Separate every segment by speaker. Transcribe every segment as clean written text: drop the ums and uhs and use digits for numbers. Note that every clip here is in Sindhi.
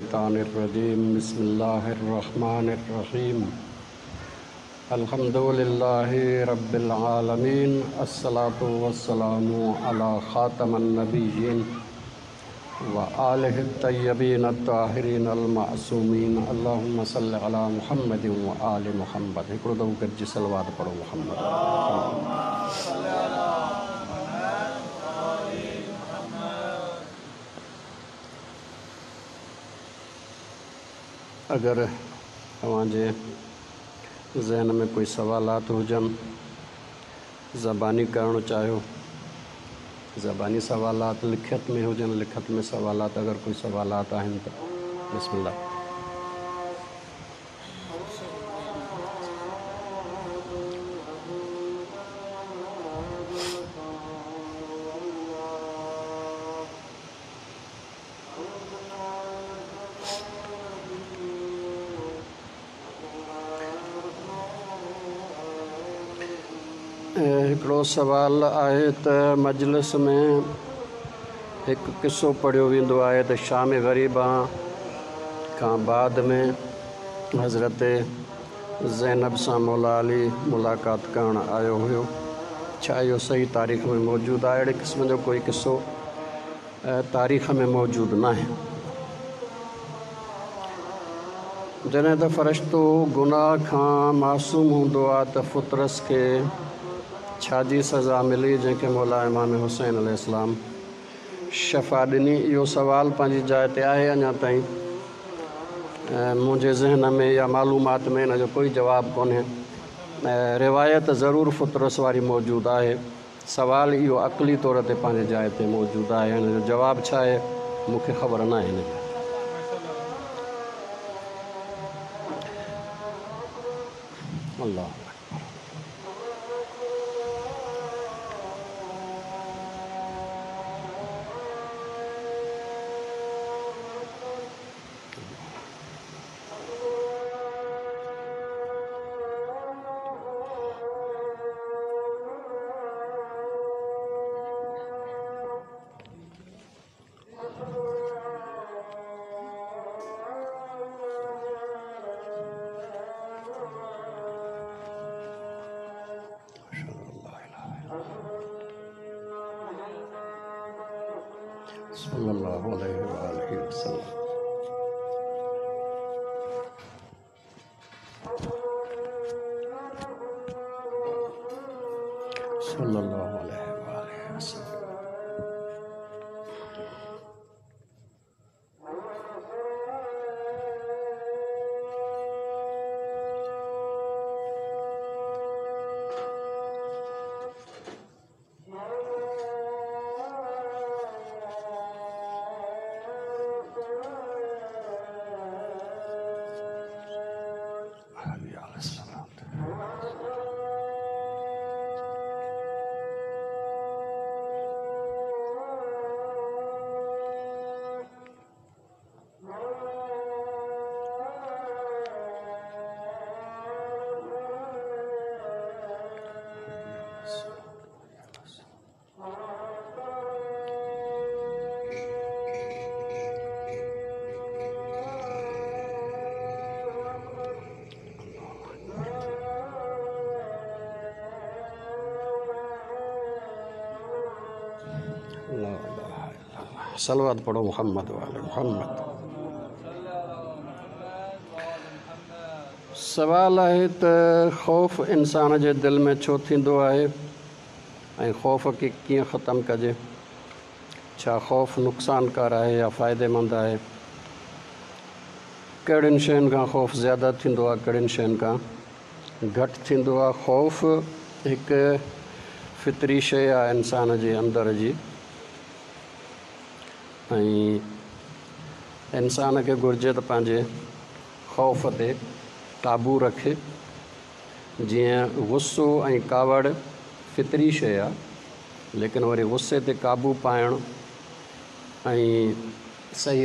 Speaker 1: الشيطان الرجيم بسم الله الرحمن الرحيم الحمد لله رب العالمين الصلاة والسلام على خاتم النبيين وآله الطيبين الطاهرين المعصومين اللهم صل على محمد وآل محمد هڪڙو دفعو گڏجي صلوات پڙهو محمد. اگر اوهان جي ذهن ۾ ڪوئي سوالات هجن زباني ڪرڻ چاهيو زباني سوالات لکت ۾ هجن لکت ۾ سوالات اگر ڪوئي سوالات آهن ته بسم الله. هڪڙو سوال آهي ته مجلس ۾ هڪ قصو پڙهيو ويندو آهي ته شام غريبان کان بعد ۾ حضرت زينب سان مولا علي ملاقات ڪرڻ آيو هيو ڇا اهو صحيح تاريخ ۾ موجود آهي؟ اهڙي قسم جو ڪوئي قصو تاريخ ۾ موجود ناهي. جڏهن ته فرشتو گناهه کان معصوم هوندو آهي ته فطرس کي ڇا جي سزا ملي جنهن کي مولا امام حسين عليه السلام شفا ڏني؟ اهو سوال پنهنجي جاء تي آهي اڃا تائين منهنجي ذهن ۾ يا معلومات ۾ ان جو ڪوئي جواب ڪونهي. روايت ضرور فطرس واري موجود آهي. سوال اهو عقلي طور تي پنهنجي جاء تي موجود آهي ان جو جواب ڇا آهي مون کي خبر ناهي ان جي. الله اڪبر. صلي الله عليه وآله وسلم. صلي الله عليه وآله وسلم. صلوات پڙهو محمد وآل محمد. سوال آهي ته خوف انسان جي دل ۾ ڇو ٿيندو آهي ۽ خوف کي ڪيئن ختم ڪجي؟ ڇا خوف نقصانڪار آهي يا فائديمند آهي؟ ڪهڙين شين کان خوف زياده ٿيندو آهي ڪهڙين شين کان گهٽ ٿيندو آهي؟ خوف هڪ فطري شيء آهي انسان جي اندر جي ۽ انسان کي گهرجي ته پنهنجي خوف تي قابو رکي. جيئن غصو ۽ ڪاوڙ فطري شيء آ، ليڪن وري غصي تي قابو پائڻ ۽ صحيح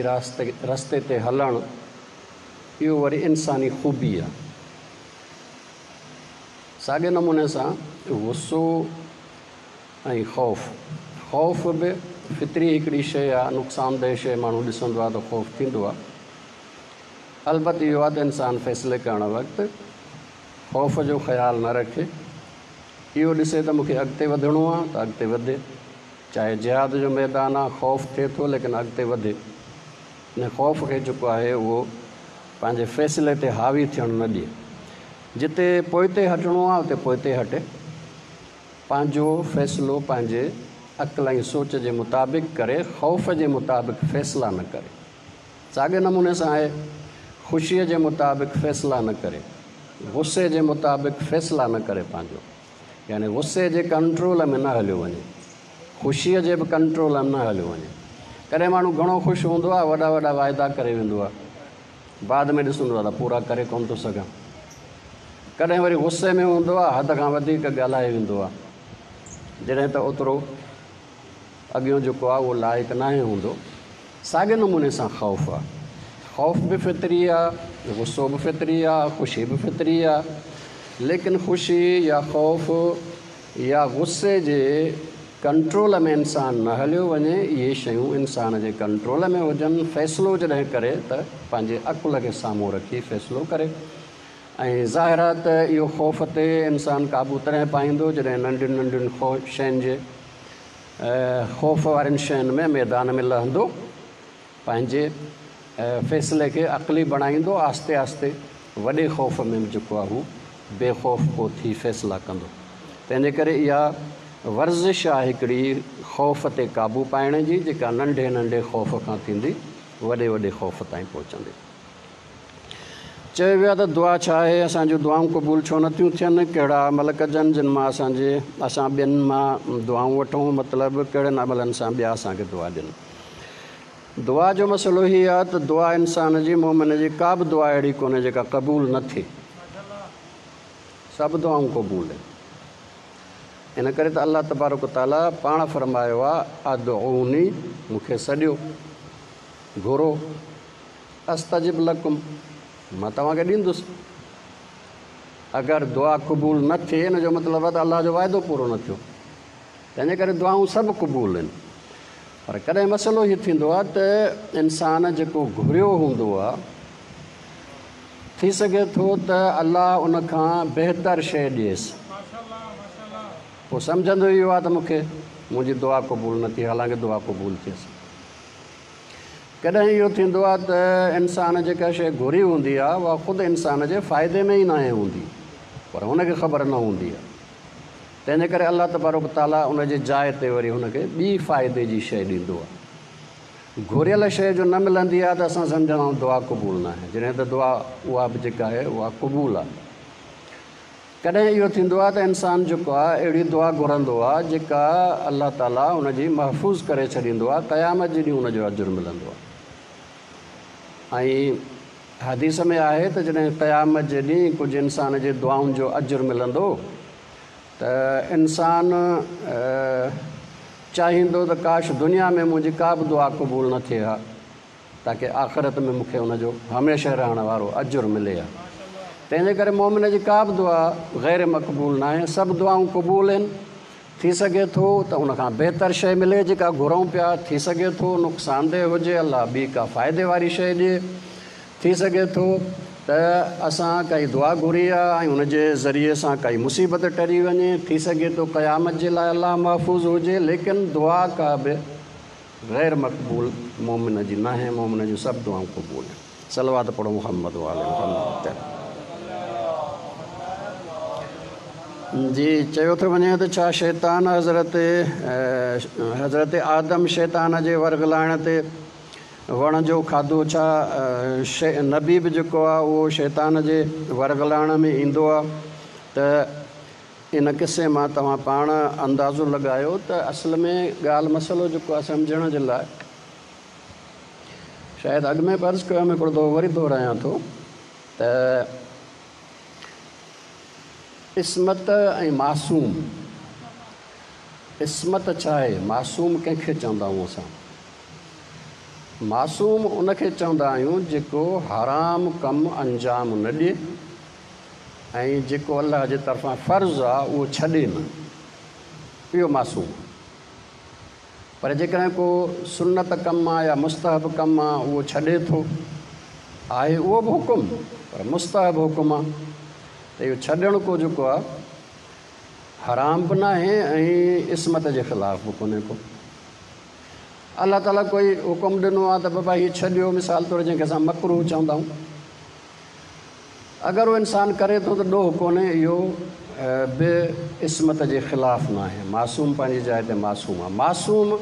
Speaker 1: رستي تي هلڻ اهو وري انساني خوبي آ. ساڳئي نموني سان غصو ۽ خوف، خوف به فطري هڪڙي شيء آ، نقصانده شيء ماڻهو ڏسندو آ ته خوف ٿيندو آ. البت اهو آهي ته انسان فيصلي ڪرڻ وقت خوف جو خيال نه رکي. اهو ڏسي ته مون کي اڳتي وڌڻو آهي ته اڳتي وڌي. چاهي جهاد جو ميدان آهي، خوف ٿئي ٿو ليڪن اڳتي وڌي. ان خوف کي جيڪو آهي اهو پنهنجي فيصلي تي حاوي ٿيڻ نه ڏئي. جتي پوئتي هٽڻو آهي اتي پوئتي هٽي. پنهنجو فيصلو پنهنجي عقل ۽ سوچ جي مطابق ڪري، خوف جي مطابق فيصلا نه ڪري. ساڳئي نموني سان آهي، خوشيء جي مطابق فيصلا نه ڪري، غصي جي مطابق فيصلا نه ڪري پنهنجو يعني غصي جي ڪنٽرول ۾ نه هليو وڃي، خوشيء جي به ڪنٽرول ۾ نه هليو وڃي. ڪڏهن ماڻهو گهڻو خوش هوندو آهي، وڏا وڏا واعدا ڪري ويندو آهي، بعد ۾ ڏسندو آهي ته پورا ڪري ڪونه ٿو سگهان. ڪڏهن وري غصي ۾ هوندو آهي، حد کان وڌيڪ ڳالهائي ويندو آهي، جڏهن ته اوترو اڳيون جيڪو آهي اهو لائق ناهي هوندو. ساڳئي نموني سان خوف آهي. خوف به فطري آهي، غصو به فطري آهي، خوشي به فطري آهي. ليڪن خوشي يا خوف يا غصي جي ڪنٽرول ۾ انسان نه هليو وڃي، اهي شيون انسان جي ڪنٽرول ۾ هجن، فيصلو جڏهن ڪري ته پنهنجي عقل کي سامهون رکي فيصلو ڪري ۽ ظاهر آهي ته اهو خوف تي انسان قابو تڏهن پائيندو جڏهن ننڍين ننڍين شين جي خوف وارين شين ۾ ميدان ۾ لهندو، پنهنجي فيصلي کي عقلي بڻائيندو، آهستي آهستي وڏي خوف ۾ به جيڪو آهي هو بي خوف پوء ٿي فيصلا ڪندو. تنهن جي ڪري اها ورزش آهي هڪڙي خوف تي قابو پائڻ جي جيڪا ننڍي ننڍي خوف کان ٿيندي وڏي وڏي خوف تائين پهچندي. چيو ويو آهي ته دعا ڇا آهي؟ اسان جون دعائون قبول ڇو نه ٿيون ٿين؟ ڪهڙا عمل ڪجن جن مان اسان جي اسان ٻين مان دعائون وٺون؟ مطلب ڪهڙن عملن سان ٻيا اسان کي دعا ڏين؟ دعا جو مسئلو هي آهي ته دعا انسان جي مومن جي ڪا به دعا اهڙي ڪونهي جيڪا قبول نه ٿئي. سڀ دعائون قبول آهن. ان ڪري ته الله تبارڪ وتعاليٰ پاڻ فرمايو آهي ادعوني مون کي سڏيو، گهرو. استجب لڪم، مان توهان کي ڏيندس. اگر دعا قبول نه ٿئي ان جو مطلب آهي ته الله جو وعدو پورو نه ٿيو. تنهن جي ڪري دعائون سڀ قبول آهن. پر ڪڏهن مسئلو هي ٿيندو آهي ته انسان جيڪو گهريو هوندو آهي ٿي سگهي ٿو ته الله ان کان بهتر شيء ڏئيس. پوء سمجهندو اهو آهي ته مون کي منهنجي دعا قبول نه ٿي حالانڪه دعا قبول ٿيس. ڪڏهن اهو ٿيندو آهي ته انسان جيڪا شيء گهري هوندي آهي اها خود انسان جي فائدي ۾ ئي ناهي هوندي پر هن کي خبر نه هوندي آهي تنهن جي ڪري الله تبارڪ وتعاليٰ ان جي جاء تي وري هن کي ٻي فائدي جي شيء ڏيندو آهي. گهريل شيء جو نه ملندي آهي ته اسان سمجهندا آهيون دعا قبول ناهي جڏهن ته دعا اها به جيڪا آهي اها قبول آهي. ڪڏهن اهو ٿيندو آهي ته انسان جيڪو آهي اهڙي دعا گهرندو آهي جيڪا الله تعاليٰ ان جي محفوظ ڪري ڇڏيندو آهي قيامت جي ڏينهن ان جو اجر ملندو آهي ۽ حديث ۾ آهي ته جڏهن قيامت جي ڏينهن ڪجهه انسان جي دعائن جو اجر ملندو ته انسان چاهيندو ته ڪاش دنيا ۾ منهنجي ڪا به دعا قبول نه ٿئي ها. تاڪه آخرت ۾ مون کي ان جو هميشه رهڻ وارو اجر ملي ها. تنهن جي ڪري مؤمن جي ڪا به دعا غير مقبول ناهي، سڀ دعائون قبول آهن. ٿي سگهي ٿو ته ان کان بهتر شيء ملي جيڪا گهرون پيا، ٿي سگهي ٿو نقصانده هجي الله ٻي ڪا فائدي واري شيء ڏئي، ٿي سگهي ٿو ته اسان ڪائي دعا گهري آ ۽ ان جي ذريعي سان ڪائي مصيبت ٽري وڃي، ٿي سگهي ٿو قيامت جي لاء الله محفوظ هجي، ليڪن دعا ڪا به غير مقبول مؤمن جي ناهي، مؤمن جون سڀ دعائون قبول آهن. صلوات پڙهو محمد وآل محمد تي. جي چيو ٿو وڃي ته ڇا شيطان حضرت حضرت آدم شيطان جي ورغلائڻ تي وڻ جو کاڌو ڇا نبي به جيڪو آهي اهو شيطان جي ورغلائڻ ۾ ايندو آهي ته ان قصي مان توهان پاڻ اندازو لڳايو ته اصل ۾ ڳالهه مسئلو جيڪو آهي سمجهڻ جي لاء شايد اڳ ۾ به عرض ڪيو هيم هڪڙو دفعو وري دهرايان ٿو ته عصمت ۽ معصوم عصمت ڇا آهي معصوم ڪنهن کي چوندا آهيون اسان معصوم ان کي چوندا آهيون جيڪو حرام ڪم انجام نه ڏئي ۽ جيڪو الله جي طرفان فرض آ اهو ڇڏي نه، اهو معصوم آ. پر جيڪڏهن ڪو سنت ڪم آ يا مستحب ڪم آ اهو ڇڏي ٿو آهي اهو به حڪم پر مستحب حڪم آهي ته اهو ڇڏڻ ڪو جيڪو آهي حرام به ناهي ۽ عصمت جي خلاف به ڪونهي ڪو. الله تعاليٰ ڪوئي حڪم ڏنو آهي ته بابا هي ڇڏيو مثال طور جنهن کي اسان مڪروه چوندا آهيون اگر اهو انسان ڪري ٿو ته ڏوهه ڪونهي اهو به عصمت جي خلاف ناهي معصوم پنهنجي جاء تي معصوم آهي معصوم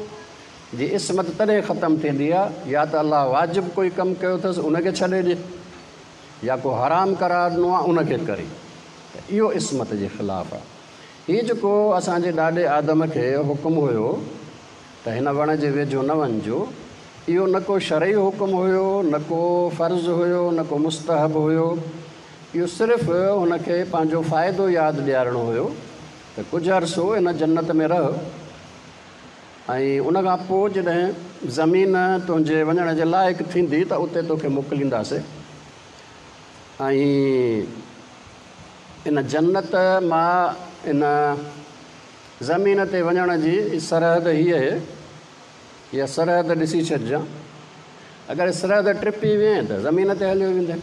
Speaker 1: جي عصمت تڏهن ختم ٿيندي آهي يا ته الله واجب ڪوئي ڪم ڪيو اٿس ان کي ڇڏي ڏي يا ڪو حرام قرار ڏنو آهي ان کي ڪري ته اهو عصمت جي خلاف آهي. هي جيڪو اسان جي ڏاڏي آدم کي حڪم هيو ته هن وڻ جي ويجهو نه وڃجو، اهو نه ڪو شرعي حڪم هيو، نه ڪو فرض هيو، نه ڪو مستحب هيو، اهو صرف هن کي پنهنجو فائدو ياد ڏيارڻو هيو ته ڪجهه عرصو هن جنت ۾ رهه ۽ ان کان پوء جڏهن زمين تنهنجي وڃڻ جي لائق ٿيندي ته اتي توکي موڪلينداسين ۽ ان جنت مان ان زمين تي وڃڻ جي سرحد هيء اهي، اها سرحد ڏسي ڇڏجان. اگر سرحد ٽپي وئين ته زمين تي هليو ويندين.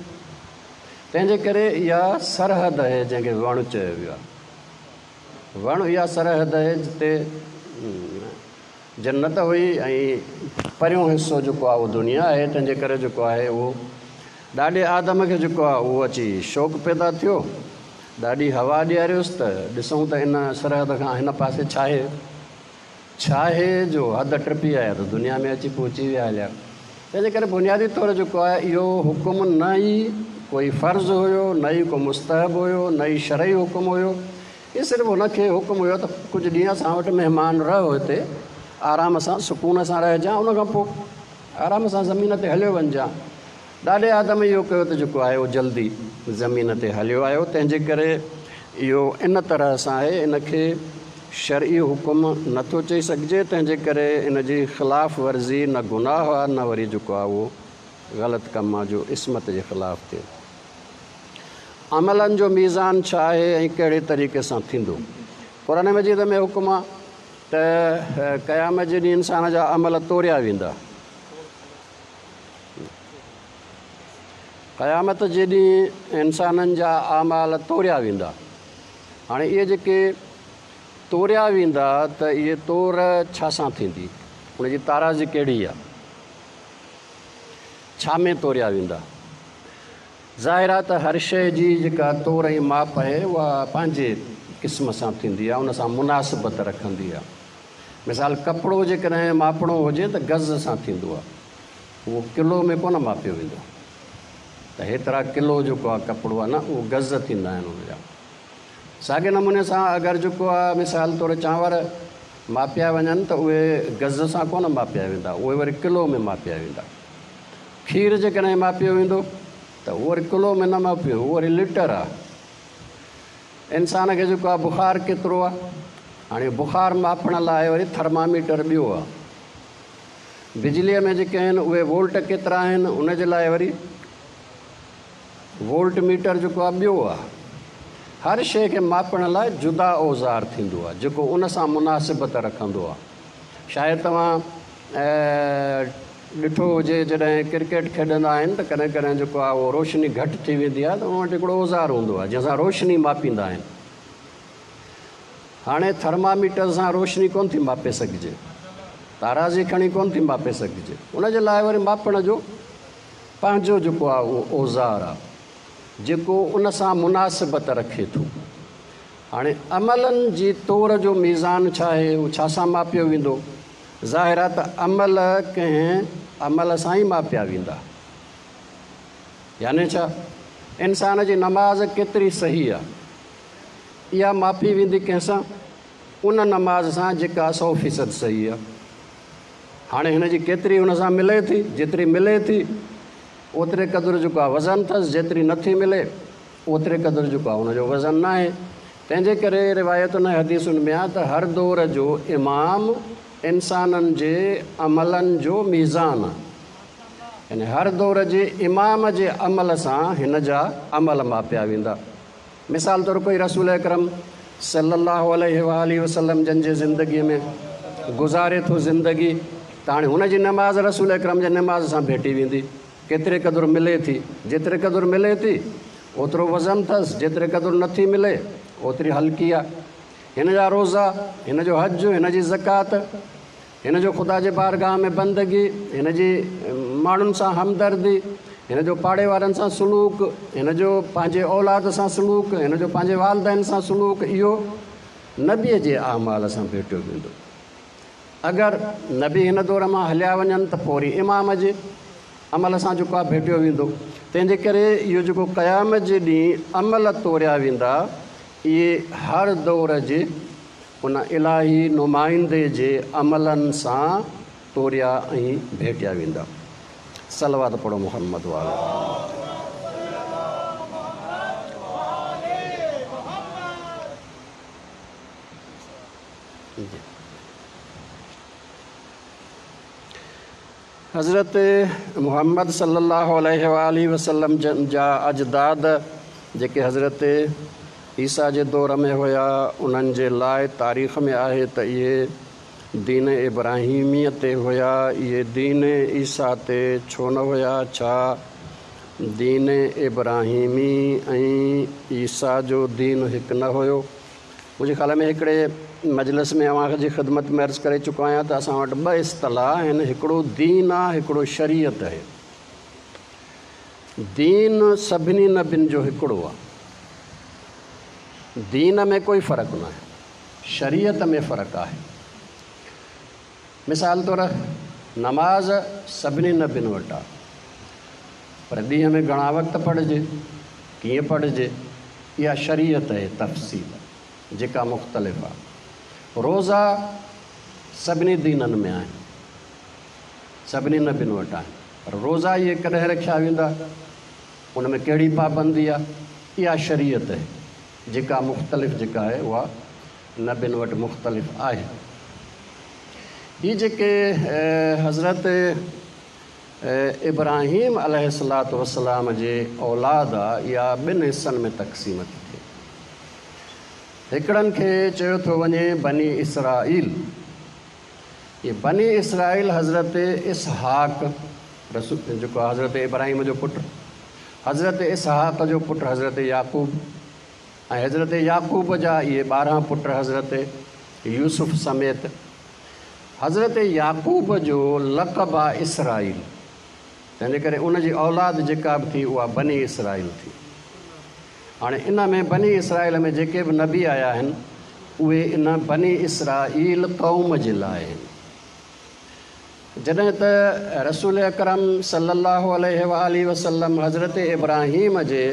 Speaker 1: تنهن جي ڪري اها سرحد اهي جنهن کي وڻ چيو ويو آهي. وڻ اها سرحد اهي جتي جنت هئي ۽ پريون حصو جيڪو آهي اهو دنيا آهي، تنهن جي ڪري جيڪو آهي اهو ڏاڏي آدم کي جيڪو آهي اهو اچي شوق پيدا ٿيو. ڏاڏي حوا ڏياريس ته ڏسون ته ان سرحد کان هن پاسي ڇاهي؟ ڇاهي جو حد ٽپي آيا ته دنيا ۾ اچي پهچي ويا هليا. تنهن جي ڪري بنيادي طور جيڪو آهي اهو حڪم نه ئي ڪوئي فرض هيو، نه ئي ڪو مستحب هيو، نه ئي شرعي حڪم هيو. هي صرف هن کي حڪم هيو ته ڪجهه ڏينهن اسان وٽ مهمان رهه هتي آرام سان سڪون سان رهجان ان کان پوء آرام سان زمين تي هليو وڃجان. ڏاڏي آدم اهو ڪيو ته جيڪو آهي اهو جلدي زمين تي هليو آيو تنهن جي ڪري اهو ان طرح سان آهي ان کي شرعي حڪم نه ٿو چئي سگهجي تنهن جي ڪري ان جي خلاف ورزي نه گناهه آهي نه وري جيڪو آهي اهو غلط ڪم آهي جو عصمت جي خلاف ٿئي. عملن جو ميزان ڇا آهي ۽ ڪهڙي طريقي سان ٿيندو؟ قرآن مجيد ۾ حڪم آهي ته قيامت جي ڏينهن انسان جا عمل توريا ويندا. قيامت جي ڏينهن انسانن جا اعمال توريا ويندا. هاڻي اهي جيڪي توريا ويندا ته اهي تور ڇا سان ٿيندي؟ ان جي تارازي ڪهڙي آهي؟ ڇا ۾ توريا ويندا؟ ظاهر آهي ته هر شيء جي جيڪا تور ۽ ماپ آهي اها پنهنجي قسم سان ٿيندي آهي، ان سان مناسبت رکندي آهي. مثال ڪپڙو جيڪڏهن ماپڻو هجي ته گز سان ٿيندو آهي، اهو ڪلو ۾ ڪونه ماپيو ويندو ته هيترا ڪلو جيڪو آهي ڪپڙو آهي نه اهو گز ٿيندا آهن ان جا. ساڳئي نموني سان اگر جيڪو آهي مثال طور چانور ماپيا وڃن ته اهي گز سان ڪونه ماپيا ويندا، اهي وري ڪلو ۾ ماپيا ويندا. کير جيڪڏهن ماپيو ويندو ته اهو وري ڪلو ۾ نه ماپيو، اهو وري ليٽر آهي. انسان کي جيڪو آهي بخار ڪيترو آهي، هاڻي بخار ماپڻ لاء وري ٿرماميٽر ٻيو آهي. بجليء ۾ جيڪي آهن اهي وولٽ ڪيترا آهن، ان جي لاء وري وولٽ ميٽر جيڪو آهي ٻيو آهي. هر شيء کي ماپڻ لاء جدا اوزار ٿيندو آهي، جيڪو ان سان مناسبت رکندو آهي. شايد توهان ڏٺو هجي جڏهن ڪرڪيٽ کيڏندا آهن ته ڪڏهن ڪڏهن جيڪو آهي اهو روشني گهٽ ٿي ويندي آهي ته ان وٽ هڪڙو اوزار هوندو آهي جنهن سان روشني ماپيندا آهن. هاڻي ٿرماميٽر سان روشني ڪونه ٿي ماپي سگهجي، تارازي کڻي ڪونه ٿي ماپي سگهجي، ان جي لاء وري ماپڻ جو پنهنجو جيڪو آهي اهو اوزار آهي جيڪو ان سان مناسبت رکي ٿو. هاڻي عملن جي تور جو ميزان ڇا آهي؟ اهو ڇا سان ماپيو ويندو؟ ظاهر آهي ته عمل ڪنهن عمل سان ئي ماپيا ويندا. يعني ڇا؟ انسان جي نماز ڪيتري صحيح آهي؟ اها ماپي ويندي ڪنهن سان؟ ان نماز سان جيڪا سو فيصد صحيح آهي. هاڻي هن جي ڪيتري ان سان ملي ٿي؟ جيتري ملي ٿي اوتري قدر جيڪو آهي وزن اٿس، جيتري نٿي ملي اوتري قدر جيڪو آهي ان جو وزن ناهي. تنهن جي ڪري روايتن ۽ حديثن ۾ آهي ته هر دور جو امام انسانن جي عملن جو ميزان آهي. يعني هر دور جي امام جي عمل سان هن جا عمل ماپيا ويندا. مثال طور ڪوئي رسول اڪرم صلي الله عليه واٰله وسلم جن جي زندگيء ۾ گذاري ٿو زندگي ته هاڻي هن جي نماز رسول اڪرم جي نماز سان ڀيٽي ويندي. ڪيتري قدر ملي ٿي. جيتري قدر ملي ٿي، اوترو وزن اٿس، جيتري قدر نٿي ملي، اوتري هلڪي آهي. هن جا روزا، هن جو حج، هن جي زڪوات، هن جو خدا جي بارگاهه ۾ بندگي، هن جي ماڻهن سان همدردي، هن جو پاڙي وارن سان سلوڪ، هن جو پنهنجي اولاد سان سلوڪ، هن جو پنهنجي والدين سان سلوڪ، اهو نبيء جي اعمال سان ڀيٽيو ويندو. اگر نبي هن دور مان هليا وڃن ته پوء وري امام جي عمل سان جيڪو آهي ڀيٽيو ويندو. تنهن جي ڪري اهو جيڪو قيامت جي ڏينهن عمل توريا ويندا، اهي هر دور جي ان الاهي نمائندي جي عملن سان توريا ۽ ڀيٽيا ويندا. صلوات پڙهو محمد وآله. حضرت محمد صلي الله عليه وآله وسلم جن جا اجداد جيڪي حضرت عيسيٰ جي دور ۾ هيا، انهن جي لاء تاريخ ۾ آهي ته اهي دين ابراهيميء تي هيا، اهي دين عيسيٰ تي ڇو نه هيا؟ ڇا دين ابراهيمي ۽ عيسيٰ جو دين هڪ نه هيو؟ منهنجي خيال ۾ هڪڙي مجلس ۾ اوهان جي خدمت ۾ عرض ڪري چڪو آهيان ته اسان وٽ ٻه اصطلاح آهن، هڪڙو دين آهي، هڪڙو شريعت آهي. دين سڀني نبين جو هڪڙو آهي، دين ۾ ڪوئي فرق ناهي، شريعت ۾ فرق آهي. مثال طور نماز سڀني نبين وٽ آهي، پر ڏينهن ۾ گهڻا وقت پڙهجي، ڪيئن پڙهجي، اها شريعت آهي، تفصيل جيڪا مختلف آهي. روزا سڀني دينن ۾ آهن، سڀني نبين وٽ آهن، پر روزا اهي ڪڏهن رکيا ويندا، ان ۾ ڪهڙي پابندي آهي، اها شريعت آهي جيڪا مختلف جيڪا آهي اها نبين وٽ مختلف آهي. هي جيڪي حضرت ابراهيم عليه الصلوة والسلام جي اولاد آ، اها ٻن حصن ۾ تقسيم ٿي ٿئي. هڪڙن کي چيو ٿو وڃي بني اسرائيل. اهي بني اسرائيل حضرت اسحاق رسول جيڪو حضرت ابراهيم جو پٽ، حضرت اسحاق جو پٽ حضرت يعقوب ۽ حضرت يعقوب جا اهي 12 پٽ حضرت يوسف سميت. حضرت يعقوب جو لقب آ اسرائيل، تنهنجي ڪري ان جي اولاد جيڪا به ٿي اها بني اسرائيل ٿي. هاڻي ان ۾ بني اسرائيل ۾ جيڪي به نبي آيا آهن اهي ان بني اسرائيل قوم جي لاء آهن. جڏهن ته رسول اڪرم صلي الله عليه واٰله وسلم حضرت ابراهيم جي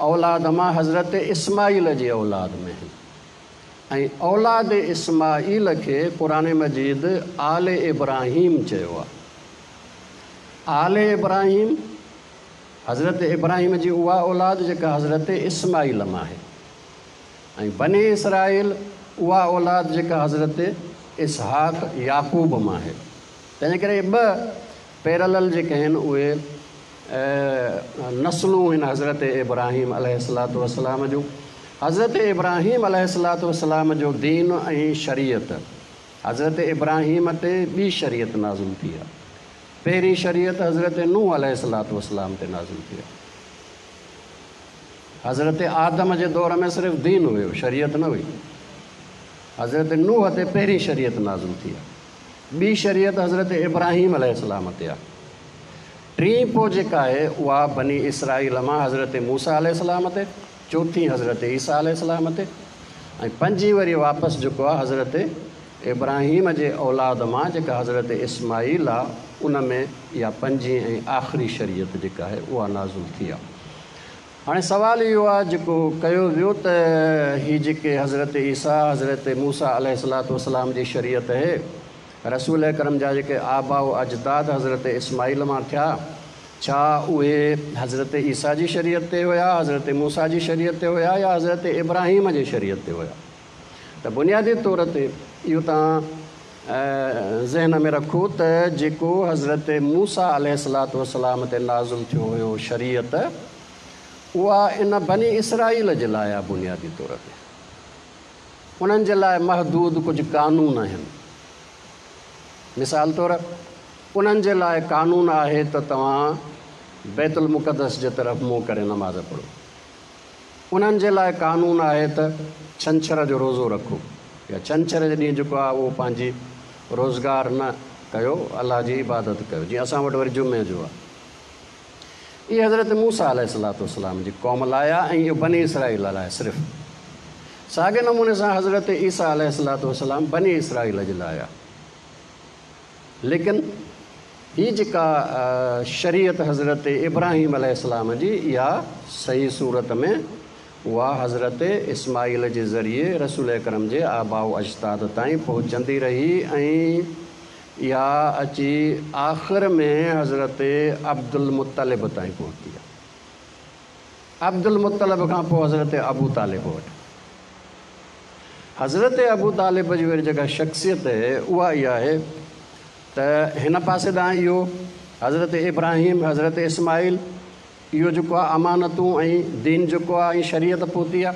Speaker 1: اولاد مان حضرت اسماعيل جي اولاد ۾ آهن. ۽ اولاد اسماعيل کي قرآن مجيد آل ابراهيم چيو آهي. آل ابراهيم حضرت ابراهيم جي اها اولاد جيڪا حضرت اسماعيل مان آهي ۽ بني اسرائيل اها اولاد جيڪا حضرت اسحاق يعقوب مان آهي. تنهن ڪري اهي ٻه پيرلل جيڪي آهن اهي نسلون هن حضرت ابراهيم عليه الصلوة والسلام جون. حضرت ابراهيم عليه الصلوة والسلام جو دين ۽ شريعت، حضرت ابراهيم تي ٻي شريعت نازل ٿي آهي. پهرين شريعت حضرت نوح عليه الصلوة والسلام تي نازل ٿي آهي. حضرت آدم جي دور ۾ صرف دين هيو، شريعت نه هئي. حضرت نوح تي پهرين شريعت نازل ٿي آهي. ٻي شريعت حضرت ابراهيم عليه السلام تي آهي. ٽين پوء جيڪا آهي اها بني اسرائيل مان حضرت موسيٰ عليه السلام تي، چوٿين حضرت عيسيٰ عليه السلام تي ۽ پنجين وري واپس جيڪو آهي حضرت ابراهيم جي اولاد مان جيڪا حضرت اسماعيل آهي ان ۾ اها پنجين ۽ آخري شريعت جيڪا آهي اها نازل ٿي آهي. هاڻي سوال اهو آهي جيڪو ڪيو ويو ته هي جيڪي حضرت عيسيٰ حضرت موسيٰ عليه الصلوة والسلام جي شريعت اهي، رسول اڪرم جا جيڪي آباء و اجداد حضرت اسماعيل مان ٿيا، ڇا اهي حضرت عيسيٰ جي شريعت تي هيا، حضرت موسيٰ جي شريعت تي هيا يا حضرت ابراهيم جي شريعت تي هيا؟ ته بنيادي طور تي اهو توهان ذهن ۾ رکو ته جيڪو حضرت موسيٰ عليه الصلوة والسلام تي نازل ٿيو هيو شريعت، اها ان بني اسرائيل جي لاء آهي بنيادي طور تي. انهن جي لاء محدود ڪجهه قانون آهن. مثال طور انهن جي لاء قانون آهي ته توهان بيت المقدس جي طرف منهن ڪري نماز پڙهو. انهن جي لاء قانون آهي ته ڇنڇر جو روزو رکو يا ڇنڇر جي ڏينهن جيڪو آهي اهو پنهنجي روزگار نه ڪيو، الله جي عبادت ڪيو، جيئن اسان وٽ وري جمعي جو آهي. اهي حضرت موسيٰ عليه الصلوة والسلام جي قوم لاء آهي ۽ اهو بني اسرائيل لاء صرف. ساڳئي نموني سان حضرت عيسيٰ عليه الصلوة والسلام بني اسرائيل جي لاء آهي. ليڪن هي جيڪا شريعت حضرت ابراهيم عليه السلام جي اها صحيح صورت ۾ اها حضرت اسماعيل جي ذريعي رسول اڪرم جي آباء و اجداد تائين پهچندي رهي ۽ اها اچي آخر ۾ حضرت عبدالمطلب تائين پهتي. عبدالمطلب کان پوء حضرت ابو طالب وٽ. حضرت ابو طالب جي وري جيڪا شخصيت اهي اها اها آهي ته هن پاسي ڏانهن اهو حضرت ابراهيم، حضرت اسماعيل اهو جيڪو آهي امانتون ۽ دين جيڪو آهي ۽ شريعت پهتي آهي.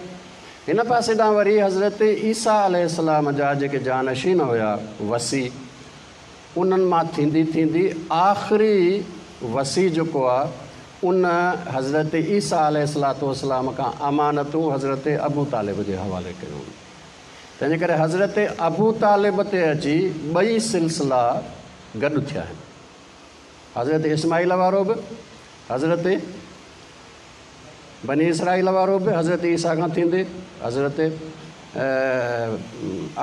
Speaker 1: هن پاسي ڏانهن وري حضرت عيسيٰ عليه السلام جا جيڪي جانشين هيا وصي انهن مان ٿيندي ٿيندي آخري وصي جيڪو آ ان حضرت عيسيٰ عليه الصلوة والسلام کان امانتون حضرت ابو طالب جي حوالي ڪيون. تنهنجي ڪري حضرت ابو طالب تي اچي ٻئي سلسلا گڏ ٿيا آهن. حضرت اسماعيل وارو به حضرت بني اسرائيل وارو به حضرت عيسيٰ کان ٿيندي حضرت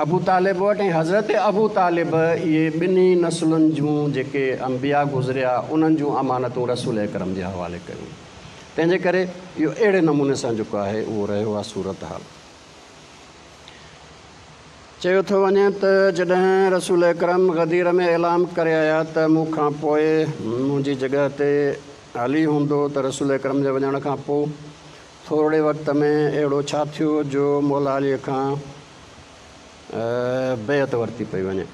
Speaker 1: ابو طالب وٽ ۽ حضرت ابو طالب اهي ٻنهي نسلن جون جيڪي انبياء گذريا انهن جون امانتون رسول اڪرم جي حوالي ڪيون. تنهن جي ڪري اهو اهڙي نموني سان جيڪو آهي اهو رهيو آهي صورتحال. چيو ٿو وڃي ته جڏهن رسول اڪرم غدير ۾ اعلان ڪري آيا ته مون کان پوء منهنجي جڳهه تي علي هوندو ته رسول اڪرم جي وڃڻ کان پوء ٿورڙي وقت ۾ اهڙو ڇا ٿيو جو مولا علي کان بيعت ورتي پئي وڃي.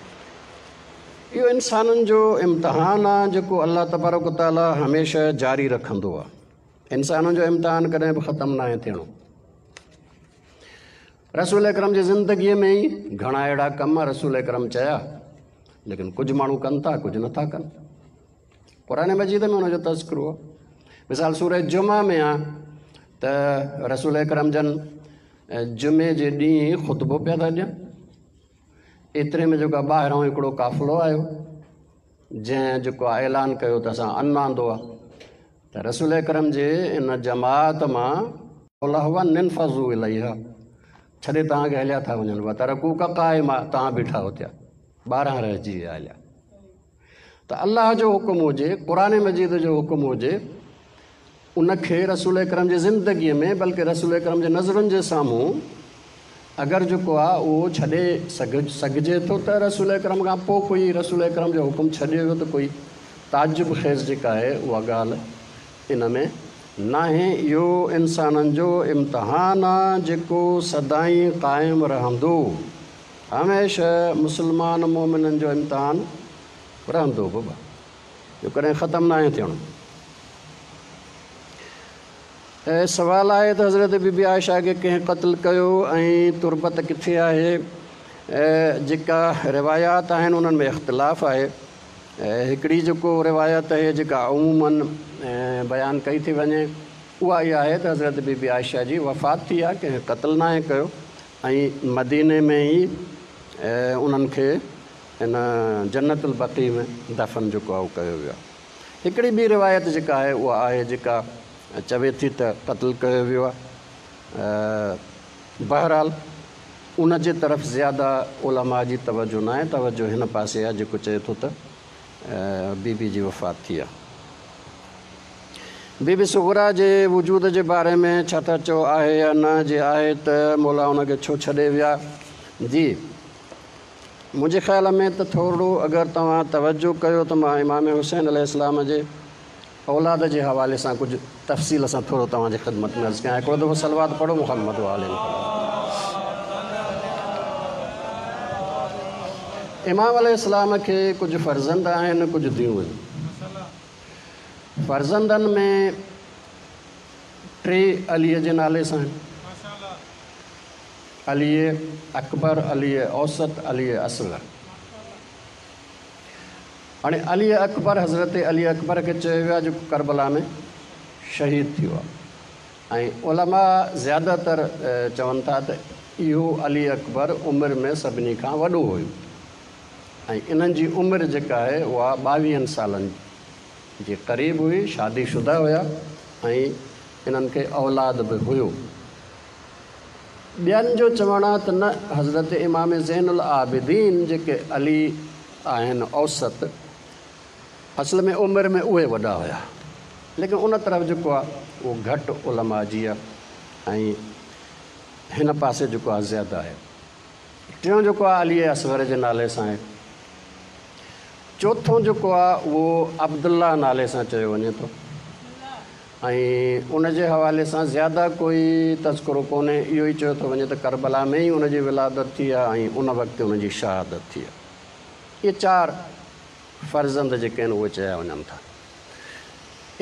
Speaker 1: اهو انسانن جو امتحان آ جيڪو الله تبارڪ و تعاليٰ هميشه جاري رکندو آ. انسانن جو امتحان ڪڏهن به ختم ناهي ٿيڻو. رسول اڪرم جي زندگيء ۾ ئي گهڻا اهڙا ڪم رسول اڪرم چيا، ليڪن ڪجهه ماڻهو ڪن ٿا ڪجهه نٿا ڪن. قرآن مجيد ۾ ان جو تذڪرو آهي. مثال سورة جمعه ۾ آ ته رسول اڪرم جن جمعي جي ڏينهن خطبو پيا ٿا ڏين، ايتري ۾ جيڪو ٻاهران هڪڙو قافلو آيو جنهن جيڪو اعلان ڪيو ته اسان ان آندو آ ته رسول اڪرم جي ان جماعت مان قال هو انفضوا اليها ڇڏي توهان کي هليا ٿا وڃن وترڪوڪ قائما توهان بيٺا هتيا 12 رهجي ويا هليا. ته الله جو حڪم هجي، قرآن مجيد جو حڪم هجي، ان کي رسول اڪرم جي زندگيء ۾ بلڪه رسول اڪرم جي نظرن جي سامهون اگر جيڪو آ اهو ڇڏي سگهجي ٿو ته رسول اڪرم کان پوء ڪوئي رسول اڪرم جو حڪم ڇڏي ويو ته ڪوئي تعجب خيز جيڪا آهي اها ڳالهه ان ۾ ناهي. اهو انسانن جو امتحان آ جيڪو سدائين قائم رهندو. هميشه مسلمان مؤمنن جو امتحان رهندو بابا اهو ڪڏهن ختم ناهي ٿيڻو. سوال آهي ته حضرت بي بي عائشه کي ڪنهن قتل ڪيو ۽ تربت ڪٿي آهي؟ جيڪا روايات آهن انهن ۾ اختلاف آهي. هڪڙي جيڪو روايت آهي جيڪا عموماً بيان ڪئي ٿي وڃي اها اها آهي ته حضرت بي بي عائشه جي وفات ٿي آهي ڪنهن قتل ناهي ڪيو ۽ مديني ۾ ئي انهن کي ان جنت البقيع ۾ دفن جيڪو آهي اهو ڪيو ويو آهي. هڪڙي ٻي روايت جيڪا آهي اها آهي جيڪا چوي ٿي ته قتل ڪيو ويو آهي. بهرحال ان جي طرف زياده علماء جي توجه ناهي، توجه هن پاسي آهي جيڪو چئي ٿو ته بي بي جي وفات ٿي آهي. بي بي صغريٰ جي وجود جي باري ۾ ڇا ٿا چئو آهي يا نه؟ جي آهي ته مولا ان کي ڇو ڇڏي ويا؟ جي منهنجي خيال ۾ ته ٿورڙو اگر توهان توجه ڪيو ته مان امام حسين عليه السلام جي اولاد جي حوالي سان ڪجهه تفصيل سان ٿورو توهان جي خدمت ۾ عرض ڪيان. هڪڙو دفعو صلوات پڙهو محمد وآل محمد. امام عليه السلام کي ڪجهه فرزند آهن ڪجهه ڌيون آهن. فرزندن ۾ ٽي عليء جي نالي سان آهن، علي اڪبر، علي اوسط، علي اصغر. هاڻي علي اڪبر حضرت علي اڪبر کي چيو ويو آهي جيڪو ڪربلا ۾ شهيد ٿيو آهي ۽ علماء زياده تر چون ٿا ته اهو علي اڪبر عمر ۾ سڀني کان وڏو هيو ۽ انهن جي عمر جيڪا آهي اها ٻاويهن سالن جي قريب هئي، شادي شده هيا ۽ انهن کي اولاد به هيو. ٻين جو چوڻ آهي ته نه حضرت امام زين العابدين جيڪي علي آهن اوسط اصل ۾ عمر ۾ اهي وڏا هيا ليڪن ان طرف جيڪو آهي اهو گهٽ علماء جي آهي ۽ هن پاسي جيڪو آهي زياده آهي. ٽيون جيڪو آهي علي اصغر جي نالي سان آهي. چوٿون جيڪو آهي اهو عبدالله نالي سان چيو وڃي ٿو ۽ ان جي حوالي سان زياده ڪوئي تذڪرو ڪونهي، اهو ئي چيو ٿو وڃي ته ڪربلا ۾ ئي ان جي ولادت ٿي آهي ۽ ان وقت ان جي شهادت ٿي آهي. اهي چار فرزند جيڪي آهن اهي چيا وڃن ٿا.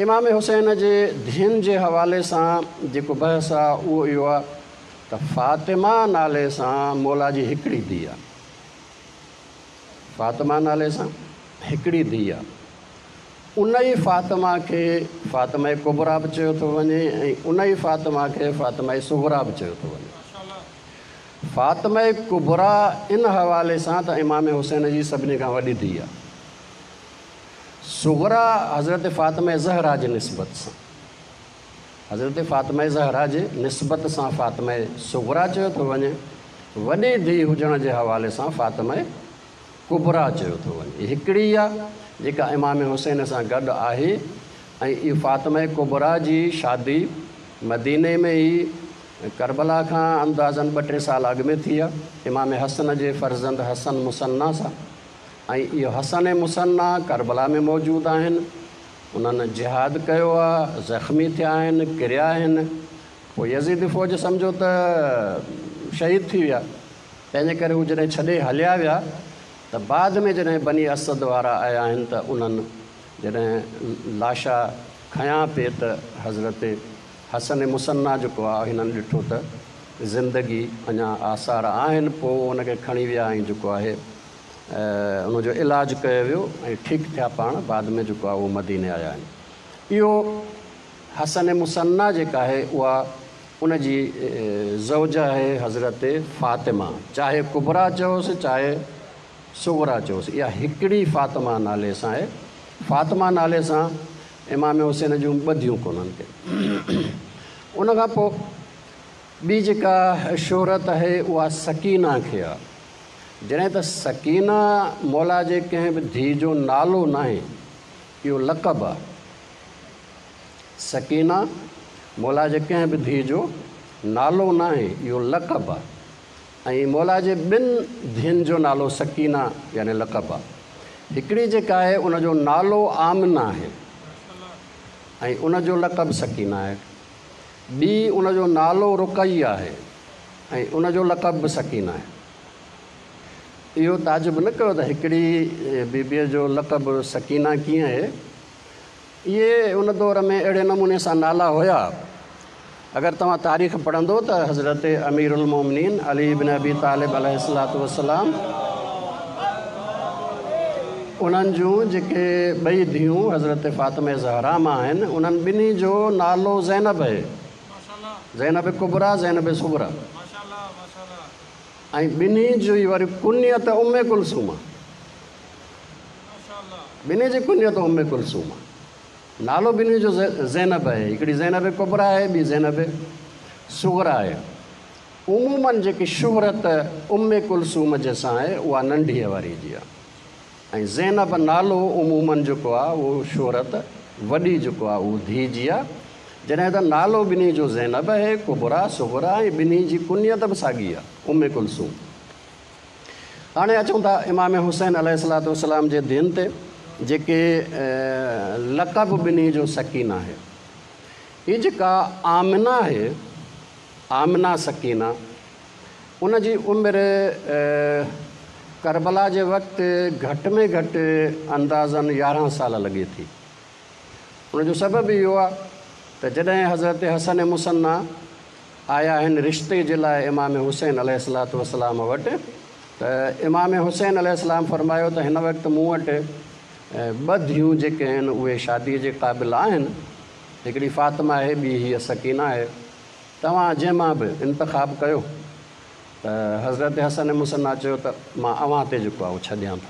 Speaker 1: امام حسين جي ڌين جي حوالي سان جيڪو بحث آهي اهو اهو آهي ته فاطمه نالي سان مولا جي هڪڙي ڌيء آهي. فاطمه نالي سان هڪڙي ڌيء آهي. ان ئي فاطمه کي فاطمه ڪبريٰ به چيو ٿو وڃي ۽ ان ئي فاطمه کي فاطمه صغريٰ به چيو ٿو وڃي. فاطمه ڪبريٰ ان حوالي سان ته امام حسين جي سڀني کان وڏي ڌيء آهي. صغريٰ حضرت فاطمه زهرا جي نسبت سان حضرت فاطمه زهرا جي نسبت سان فاطمه صغريٰ چيو ٿو وڃي، وڏي ڌيء هجڻ جي حوالي سان فاطمه ڪبريٰ چيو ٿو وڃي. هڪڙي ئي آ جيڪا امام حسين سان گڏ آهي ۽ اهو فاطمه ڪبريٰ جي شادي مديني ۾ ئي ڪربلا کان اندازاً ٻه ٽي سال اڳ ۾ ٿي آ امام حسن جي فرزند حسن مثنيٰ سان ۽ اهو حسن مثنيٰ ڪربلا ۾ موجود آهن. انهن جهاد ڪيو آ، زخمي ٿيا آهن، ڪريا آهن، پوء يزيدي فوج سمجهيو ته شهيد ٿي ويا، تنهنجي ڪري هو جڏهن ڇڏي هليا ويا ته بعد ۾ جڏهن بني اسد وارا آيا آهن ته انهن جڏهن لاشا کنيا پئي ته حضرت حسن مثنيٰ جيڪو آ هنن ڏٺو ته زندگي اڃا آثار آهن، پوء ان کي کڻي ويا ۽ جيڪو آهي ان جو علاج ڪيو ويو ۽ ٺيڪ ٿيا پاڻ بعد ۾ جيڪو آهي اهو مديني آيا آهن. اهو حسن مثنيٰ جيڪا آهي اها ان جي زوجه آهي حضرت فاطمه چاهي ڪبريٰ چئوس چاهي صغريٰ چئوس اها هڪڙي فاطمه نالي سان آهي. فاطمه نالي سان امام حسين جون ٻه ڌيون ڪونهن ڪي. ان کان پوء ٻي جيڪا شهرت آهي اها سڪينه کي آهي. جڏهن ته سڪينه مولا جي ڪنهن به ڌيء جو نالو ناهي، اهو لقب آهي. سڪينه مولا جي ڪنهن به ڌيء جو نالو ناهي، اهو لقب آهي ۽ مولا جي ٻن ڌين جو نالو سڪينه يعني لقب آهي. هڪڙي جيڪا آهي ان جو نالو آمنه آهي ۽ ان جو لقب سڪينه آهي. ٻي ان جو نالو رقيه آهي ۽ ان جو لقب به سڪينه آهي. اهو تعجب نه ڪيو ته هڪڙي بيبيء جو لقب سڪينه ڪيئن آهي. اهي ان دور ۾ اهڙي نموني سان نالا هيا. اگر توهان تاريخ پڙهندو ته حضرت امير المومنين علي بن ابي طالب عليه الصلوة والسلام انهن جون جيڪي ٻئي ڌيئون حضرت فاطمه زهرا مان آهن انهن ٻنهي جو نالو زينب آهي. زينب ڪبريٰ زينب صغريٰ ۽ ٻنهي جي وري ڪنيت ام ڪلثوم آهي. ٻنهي جي ڪنيت ام ڪلثوم آهي. نالو ٻنهي جو زينب آهي. هڪڙي زينب ڪبريٰ آهي ٻي زينب صغريٰ آهي. عموماً جيڪي شهرت ام ڪلثوم جي سان آهي اها ننڍيء واري جي آهي ۽ زينب نالو عموماً جيڪو آهي اهو شهرت وڏي جيڪو آهي اهو ڌيء جي آهي. جڏهن ته نالو ٻنهي جو زينب آهي، ڪبريٰ، صغريٰ ۽ ٻنهي جي ڪنيت به ساڳي آهي، ام ڪلثوم. هاڻي اچون ٿا امام حسين عليه الصلوة والسلام جي ڌين تي، جيڪي لقب ٻنهي جو سڪينه آهي. هي جيڪا آمنه آهي، آمنه سڪينه، ان جي عمر ڪربلا جي وقت گهٽ ۾ گهٽ اندازاً 11 سال لڳي ٿي. ان جو سبب اهو آهي ته جڏهن حضرت حسن مثنيٰ آيا آهن رشتي جي لاء امام حسين عليه الصلوة والسلام وٽ ته امام حسين عليه السلام فرمايو ته هن وقت مون وٽ ٻه ڌيئون جيڪي آهن اهي شاديء جي قابل آهن، هڪڙي فاطمه آهي ٻي هيء سڪينه آهي، توهان جنهن مان به انتخاب ڪيو. ته حضرت حسن مثنيٰ چيو ته مان اوهان تي جيڪو آهي اهو ڇڏيان ٿو.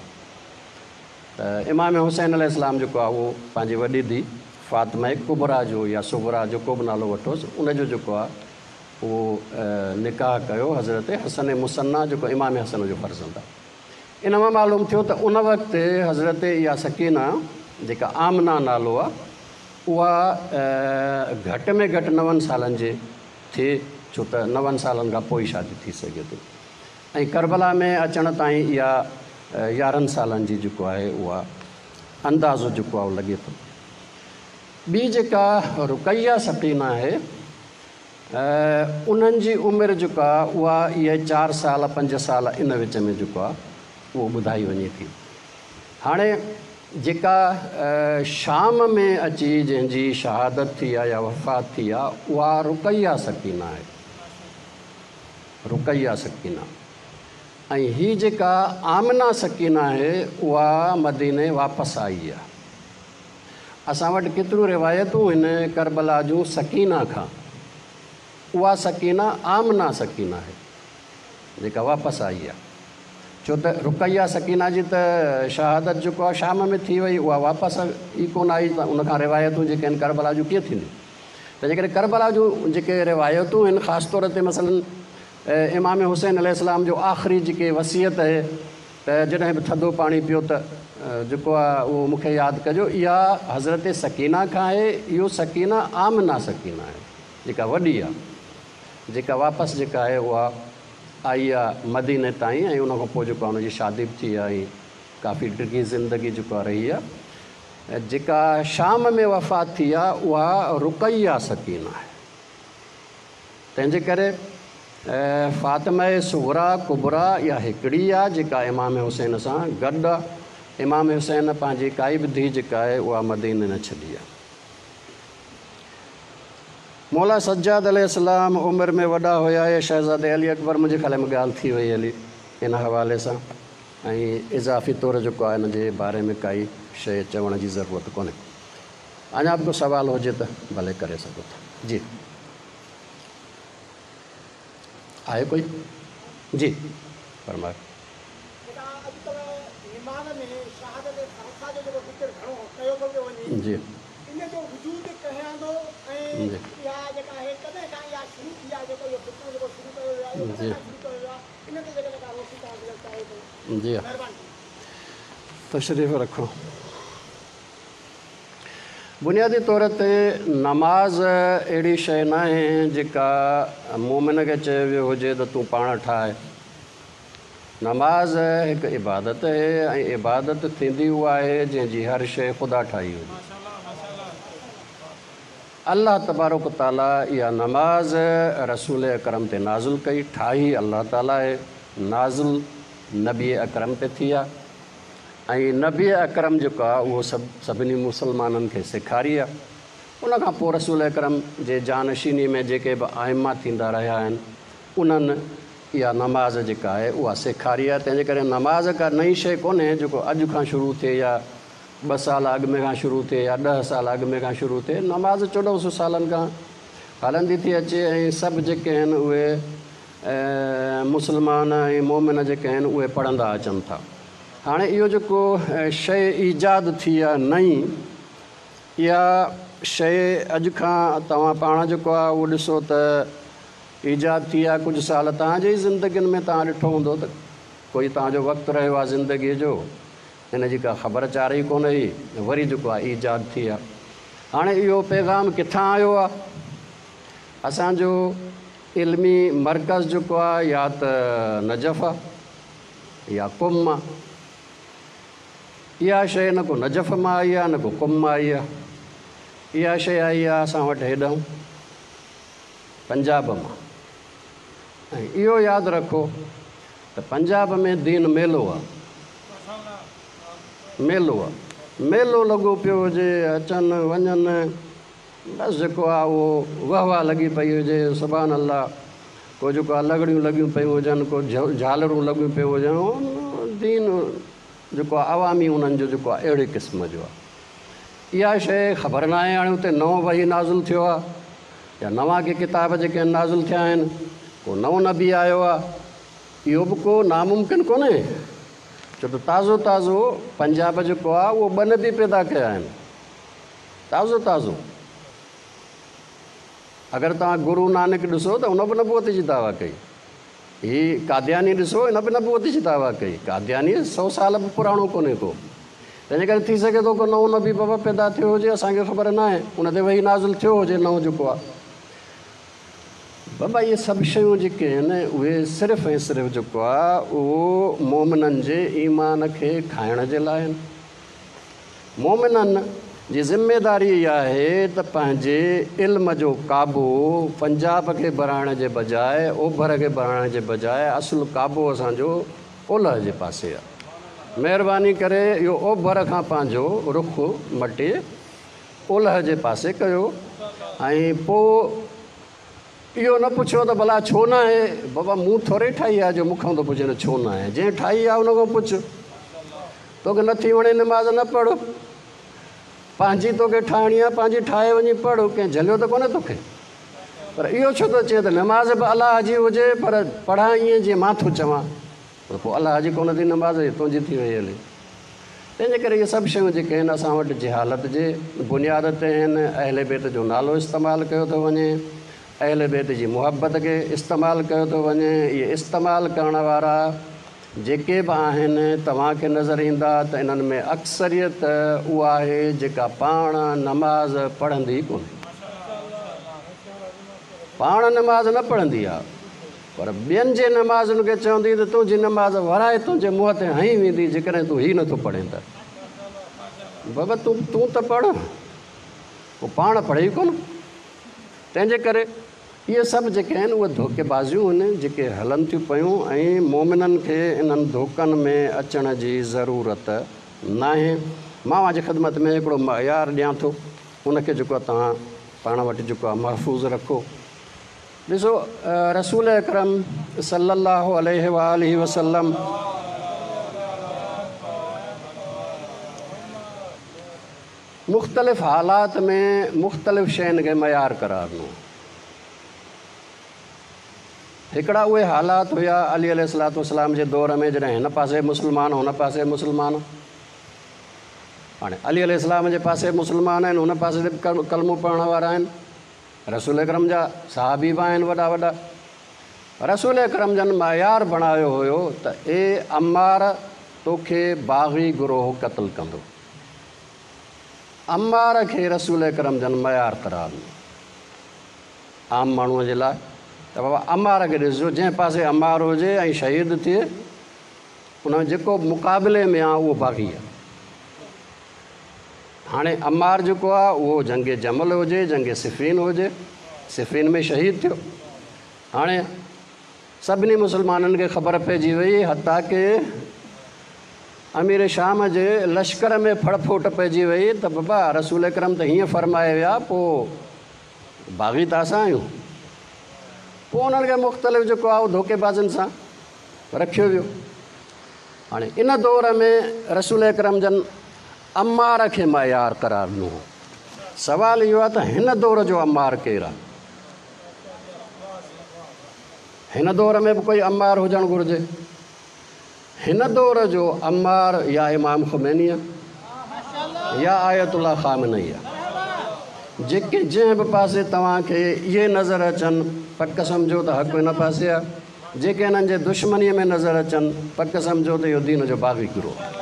Speaker 1: ته امام حسين عليه السلام جيڪو آهي اهو پنهنجي وڏي ڌيء فاطمه ڪبريٰ جو يا صغريٰ جيڪو به نالو وٺوس ان جو جيڪو آهي اهو نڪاح ڪيو حضرت حسن مثنيٰ جيڪو امام حسن جو فرزند آهي. ان مان معلوم ٿيو ته ان وقت حضرت اها سڪينه جيڪا آمنه نالو آهي اها گهٽ ۾ گهٽ نون سالن جي ٿئي ڇو ته نون سالن کان پوء ئي شادي ٿي سگهي ٿي ۽ ڪربلا ۾ اچڻ تائين اها 11 سالن جي جيڪو آهي اها اندازو جيڪو آهي اهو لڳي ٿو. ٻي جيڪا رقيه سڪينه آهي انهن جي عمر جيڪا اها اهي 4 سال 5 سال ان وچ ۾ جيڪو آهي اهو ٻڌائي وڃي ٿي. هاڻي جيڪا شام ۾ اچي جنهن جي شهادت ٿي آهي يا وفات ٿي آهي اها رقيه سڪينه آهي. رقيه سڪينه ۽ هي جيڪا آمنه سڪينه آهي اها مديني واپس آئي آهي. اسان وٽ ڪيتريون روايتون هن ڪربلا جون سڪينه کان. اها سڪينه آمنه سڪينه آهي جيڪا واپس آئي آهي. ڇو ته رقيه سڪينه جي ته شهادت جيڪو آهي شام ۾ ٿي وئي اها واپس ئي ڪونه آئي ته ان کان روايتون جيڪي آهن ڪربلا جون ڪيئن ٿينديون. تنهنجي ڪري ڪربلا جون جيڪي روايتون آهن خاص طور تي مثلاً امام حسين عليه السلام جو آخري جيڪي وصيت آهي ته جڏهن به ٿڌو پاڻي پيو ته جيڪو آهي اهو مون کي ياد ڪجو اها حضرت سڪينه کان آهي اهو سڪينه آمنه سڪينه آهي جيڪا وڏي آهي جيڪا واپس جيڪا آهي اها آئي آهي مديني تائين ۽ ان کان پوء جيڪو آهي ان جي شادي به ٿي آهي ۽ ڪافي ڊگهي زندگي جيڪو آهي رهي آهي جيڪا شام ۾ وفات ٿي آهي اها رقيه سڪينه آهي. تنهن جي ڪري فاطمه صغريٰ ڪبريٰ اها هڪڙي آ جيڪا امام حسين سان گڏ آ. امام حسين پنهنجي ڪائي به ڌيء جيڪا آهي اها مديني نه ڇڏي آ. مولا سجاد عليه السلام عمر ۾ وڏا هيا يا شهزادي علي اڪبر منهنجي خيال ۾ ڳالهه ٿي وئي هلي ان حوالي سان ۽ اضافي طور جيڪو آهي ان جي باري ۾ ڪائي شيء چوڻ جي ضرورت ڪونهي. اڃا به ڪو سوال هجي ته ڀلي ڪري سگهو ٿا. جي آهي ڪوئي؟ جي فرمايو.
Speaker 2: جيڪا اڄڪلهه نماز ۾ شهادت ثالثه جو جيڪو ذڪر گهڻو ڪيو ٿو پيو وڃي
Speaker 1: جي
Speaker 2: ان جو وجود ڪنهن آندو ۽
Speaker 1: جي
Speaker 2: اها جيڪا آهي ڪڏهن کان اها شروع ٿي آهي جيڪو اهو فتنو جيڪو شروع ڪيو ويو آهي اهو
Speaker 1: جي
Speaker 2: ڪڏهن کان شروع ڪيو ويو آهي ان تي جيڪڏهن ڪا روشني توهان وجهڻ چاهيو ته
Speaker 1: جي
Speaker 2: مهرباني ٿيندي.
Speaker 1: تشريف رکو. بنيادي طور تي نماز اهڙي شيء ناهي جيڪا مؤمن کي چيو ويو هجي ته تون پاڻ ٺاهه. نماز هڪ عبادت آهي ۽ عبادت ٿيندي اها آهي جنهن جي هر شيء خدا ٺاهي هجي. الله تبارڪ و تعاليٰ اها نماز رسول اڪرم تي نازل ڪئي، ٺاهي الله تعاليٰ آهي، نازل نبي اڪرم تي ٿي آهي. ۽ نبي اڪرم جيڪو آهي اهو سڀ سڀني مسلمانن کي سيکاري آهي. ان کان پوء رسول اڪرم جي جانشيني ۾ جيڪي به ائمه ٿيندا رهيا آهن انهن اها نماز جيڪا آهي اها سيکاري آهي. تنهن جي ڪري نماز ڪا نئين شيء ڪونهي جيڪو اڄ کان شروع ٿئي يا 2 سال اڳ ۾ کان شروع ٿئي يا 10 سال اڳ ۾ کان شروع ٿئي. نماز 1400 سالن کان هلندي ٿي اچي ۽ سڀ جيڪي آهن اهي مسلمان ۽ مؤمن جيڪي آهن اهي پڙهندا اچن ٿا. هاڻي اهو جيڪو شيء ايجاد ٿي آهي نئين، اها شيء اڄ کان توهان پاڻ جيڪو آهي اهو ڏسو ته ايجاد ٿي آهي ڪجهه سال توهان جي ئي زندگين ۾ توهان ڏٺو هوندو ته ڪوئي توهان جو وقت رهيو آهي زندگيء جو ان جي ڪا خبر چار ئي ڪونه هئي، وري جيڪو آهي ايجاد ٿي آهي. هاڻي اهو پيغام ڪٿان آيو آهي؟ اسان جو علمي مرڪز جيڪو آهي يا ته نجف آهي يا قم آهي. اها شيء نه ڪو نجف مان آئي آهي نه ڪو قم مان آئي آهي. اها شيء آئي آهي اسان وٽ هيڏانهن پنجاب مان. ۽ اهو ياد رکو ته پنجاب ۾ دين ميلو آهي. ميلو آهي. ميلو لڳو پيو هجي، اچن وڃن. بس جيڪو آ اهو وهه واهه لڳي پئي هجي، سبحان الله، ڪو جيڪو آ لڳڙيون لڳيون پيون هجن، ڪو جهالرون لڳيون پيون هجن، دين جيڪو آهي عوامي انهن جو جيڪو آهي اهڙي قسم جو آهي. اها شيء خبر ناهي هاڻي اتي نئون وحي نازل ٿيو آهي يا نوان ڪي ڪتاب جيڪي آهن نازل ٿيا آهن، ڪو نئون نبي آيو آهي، اهو به ڪو ناممڪن ڪونهي، ڇو ته تازو تازو پنجاب جيڪو آهي اهو ٻه نبي پيدا ڪيا آهن، تازو تازو. اگر توهان گرو نانڪ ڏسو ته ان به نبوت جي دعويٰ ڪئي. هي قادياني ڏسو ان به نبوت جي دعويٰ ڪئي. قادياني سو سال به پراڻو ڪونهي ڪو. تنهنجي ڪري ٿي سگهي ٿو ڪو نئون نبي بابا پيدا ٿيو هجي اسان کي خبر ناهي ان تي وحي نازل ٿيو هجي نئون جيڪو آهي. بابا اهي سڀ شيون جيڪي آهن اهي صرف ۽ صرف جيڪو آهي اهو مومنن جي ايمان کي کائڻ جي لاء آهن. مومنن جي ذميداري اها آهي ته پنهنجي علم جو ڪعبو پنجاب کي بڻائڻ جي بجاء اوڀر کي بڻائڻ جي بجاء اصل ڪعبو اسان جو اولهه جي پاسي آهي. مهرباني ڪري اهو اوڀر کان پنهنجو رخ مٽي اولهه جي پاسي ڪيو ۽ پوء اهو نه پڇيو ته ڀلا ڇو ناهي؟ بابا مون ٿوري ٺاهي آهي جو مون کان ٿو پڇين ڇو ناهي؟ جنهن ٺاهي آهي ان کان پڇ. توکي نٿي وڻي نماز نه پڙهه. پنهنجي توکي ٺاهڻي آهي پنهنجي ٺاهي وڃي پڙهه، ڪنهن جهليو ته ڪونهي توکي. پر اهو ڇو ٿو چئين ته نماز به الله جي هجي پر پڙهان ائين جيئن مان ٿو چوان. پر پوء الله جي ڪونه ٿي نماز هي تنهنجي ٿي وئي هلي. تنهن جي ڪري اهي سڀ شيون جيڪي آهن اسان وٽ جهالت جي بنياد تي آهن، اهل بيت جو نالو استعمال ڪيو ٿو وڃي، اهل بيت جي محبت کي استعمال ڪيو ٿو وڃي، اهي استعمال ڪرڻ وارا جيڪي به آهن توهان کي نظر ايندا ته انهن ۾ اڪثريت اها آهي جيڪا پاڻ نماز پڙهندي ڪونهي. پاڻ نماز نه پڙهندي آهي. پر ٻين جي نمازن کي چوندي ته تنهنجي نماز ورائي تنهنجي منهن تي هنئي ويندي جيڪڏهن تون هي نٿو پڙهين ته. بابا تون تون ته پڙهه. هو پاڻ پڙهي ئي ڪونه. تنهن جي ڪري اهي سڀ جيڪي آهن اهي ڌوڪيبازيون آهن جيڪي هلن ٿيون پيون ۽ مؤمنن کي انهن ڌوڪن ۾ اچڻ جي ضرورت ناهي. مان اوهان جي خدمت ۾ هڪڙو معيار ڏيان ٿو ان کي جيڪو آهي توهان پاڻ وٽ جيڪو آهي محفوظ رکو. ڏسو رسول اڪرم صلي الله عليه واٰله وسلم مختلف حالات ۾ مختلف شين کي معيار قرار ڏنو. هڪڙا اهي حالات هيا علي عليه الصلوة والسلام جي دور ۾ جڏهن هن پاسي مسلمان هن پاسي مسلمان، هاڻي علي عليه السلام جي پاسي مسلمان آهن هن پاسي به ڪلمو پڙهڻ وارا آهن، رسول اڪرم جا صحابي به آهن وڏا وڏا. رسول اڪرم جن معيار بڻايو هيو ته اي عمار توکي باغي گروهه قتل ڪندو. عمار کي رسول اڪرم جن معيار قرار ڏنو عام ماڻهوء جي لاء ته بابا عمار کي ڏسجو جنهن پاسي عمار هجي ۽ شهيد ٿئي ان ۾ جيڪو مقابلي ۾ آ اهو باغي آ. هاڻي عمار جيڪو آ اهو جنگ جمل هجي جنگ صفين هجي صفين ۾ شهيد ٿيو. هاڻي سڀني مسلمانن کي خبر پئجي وئي حتيٰ ڪه امير شام جي لشڪر ۾ ڦڙڦوٽ پئجي وئي ته بابا رسول اڪرم ته هيئن فرمائي ويا پوء باغي ته اسان آهيون. پوء انهن کي مختلف جيڪو آ اهو ڌوڪيبازين سان رکيو ويو. هاڻي ان دور ۾ رسول اڪرم جن عمار کي معيار قرار ڏنو هو. سوال اهو آهي ته هن دور جو عمار ڪير آهي؟ هن دور ۾ به ڪوئي عمار هجڻ گهرجي. هن دور جو عمار يا امام خميني آهي يا آيت الله خامنئي آهي. جيڪي جنهن به پاسي توهان کي اهي نظر اچن پڪ سمجهو ته حق ان پاسي آهي. جيڪي انهن جي دشمنيء ۾ نظر اچن، پڪ سمجهو ته اهو دين جو باغي گروهه آهي.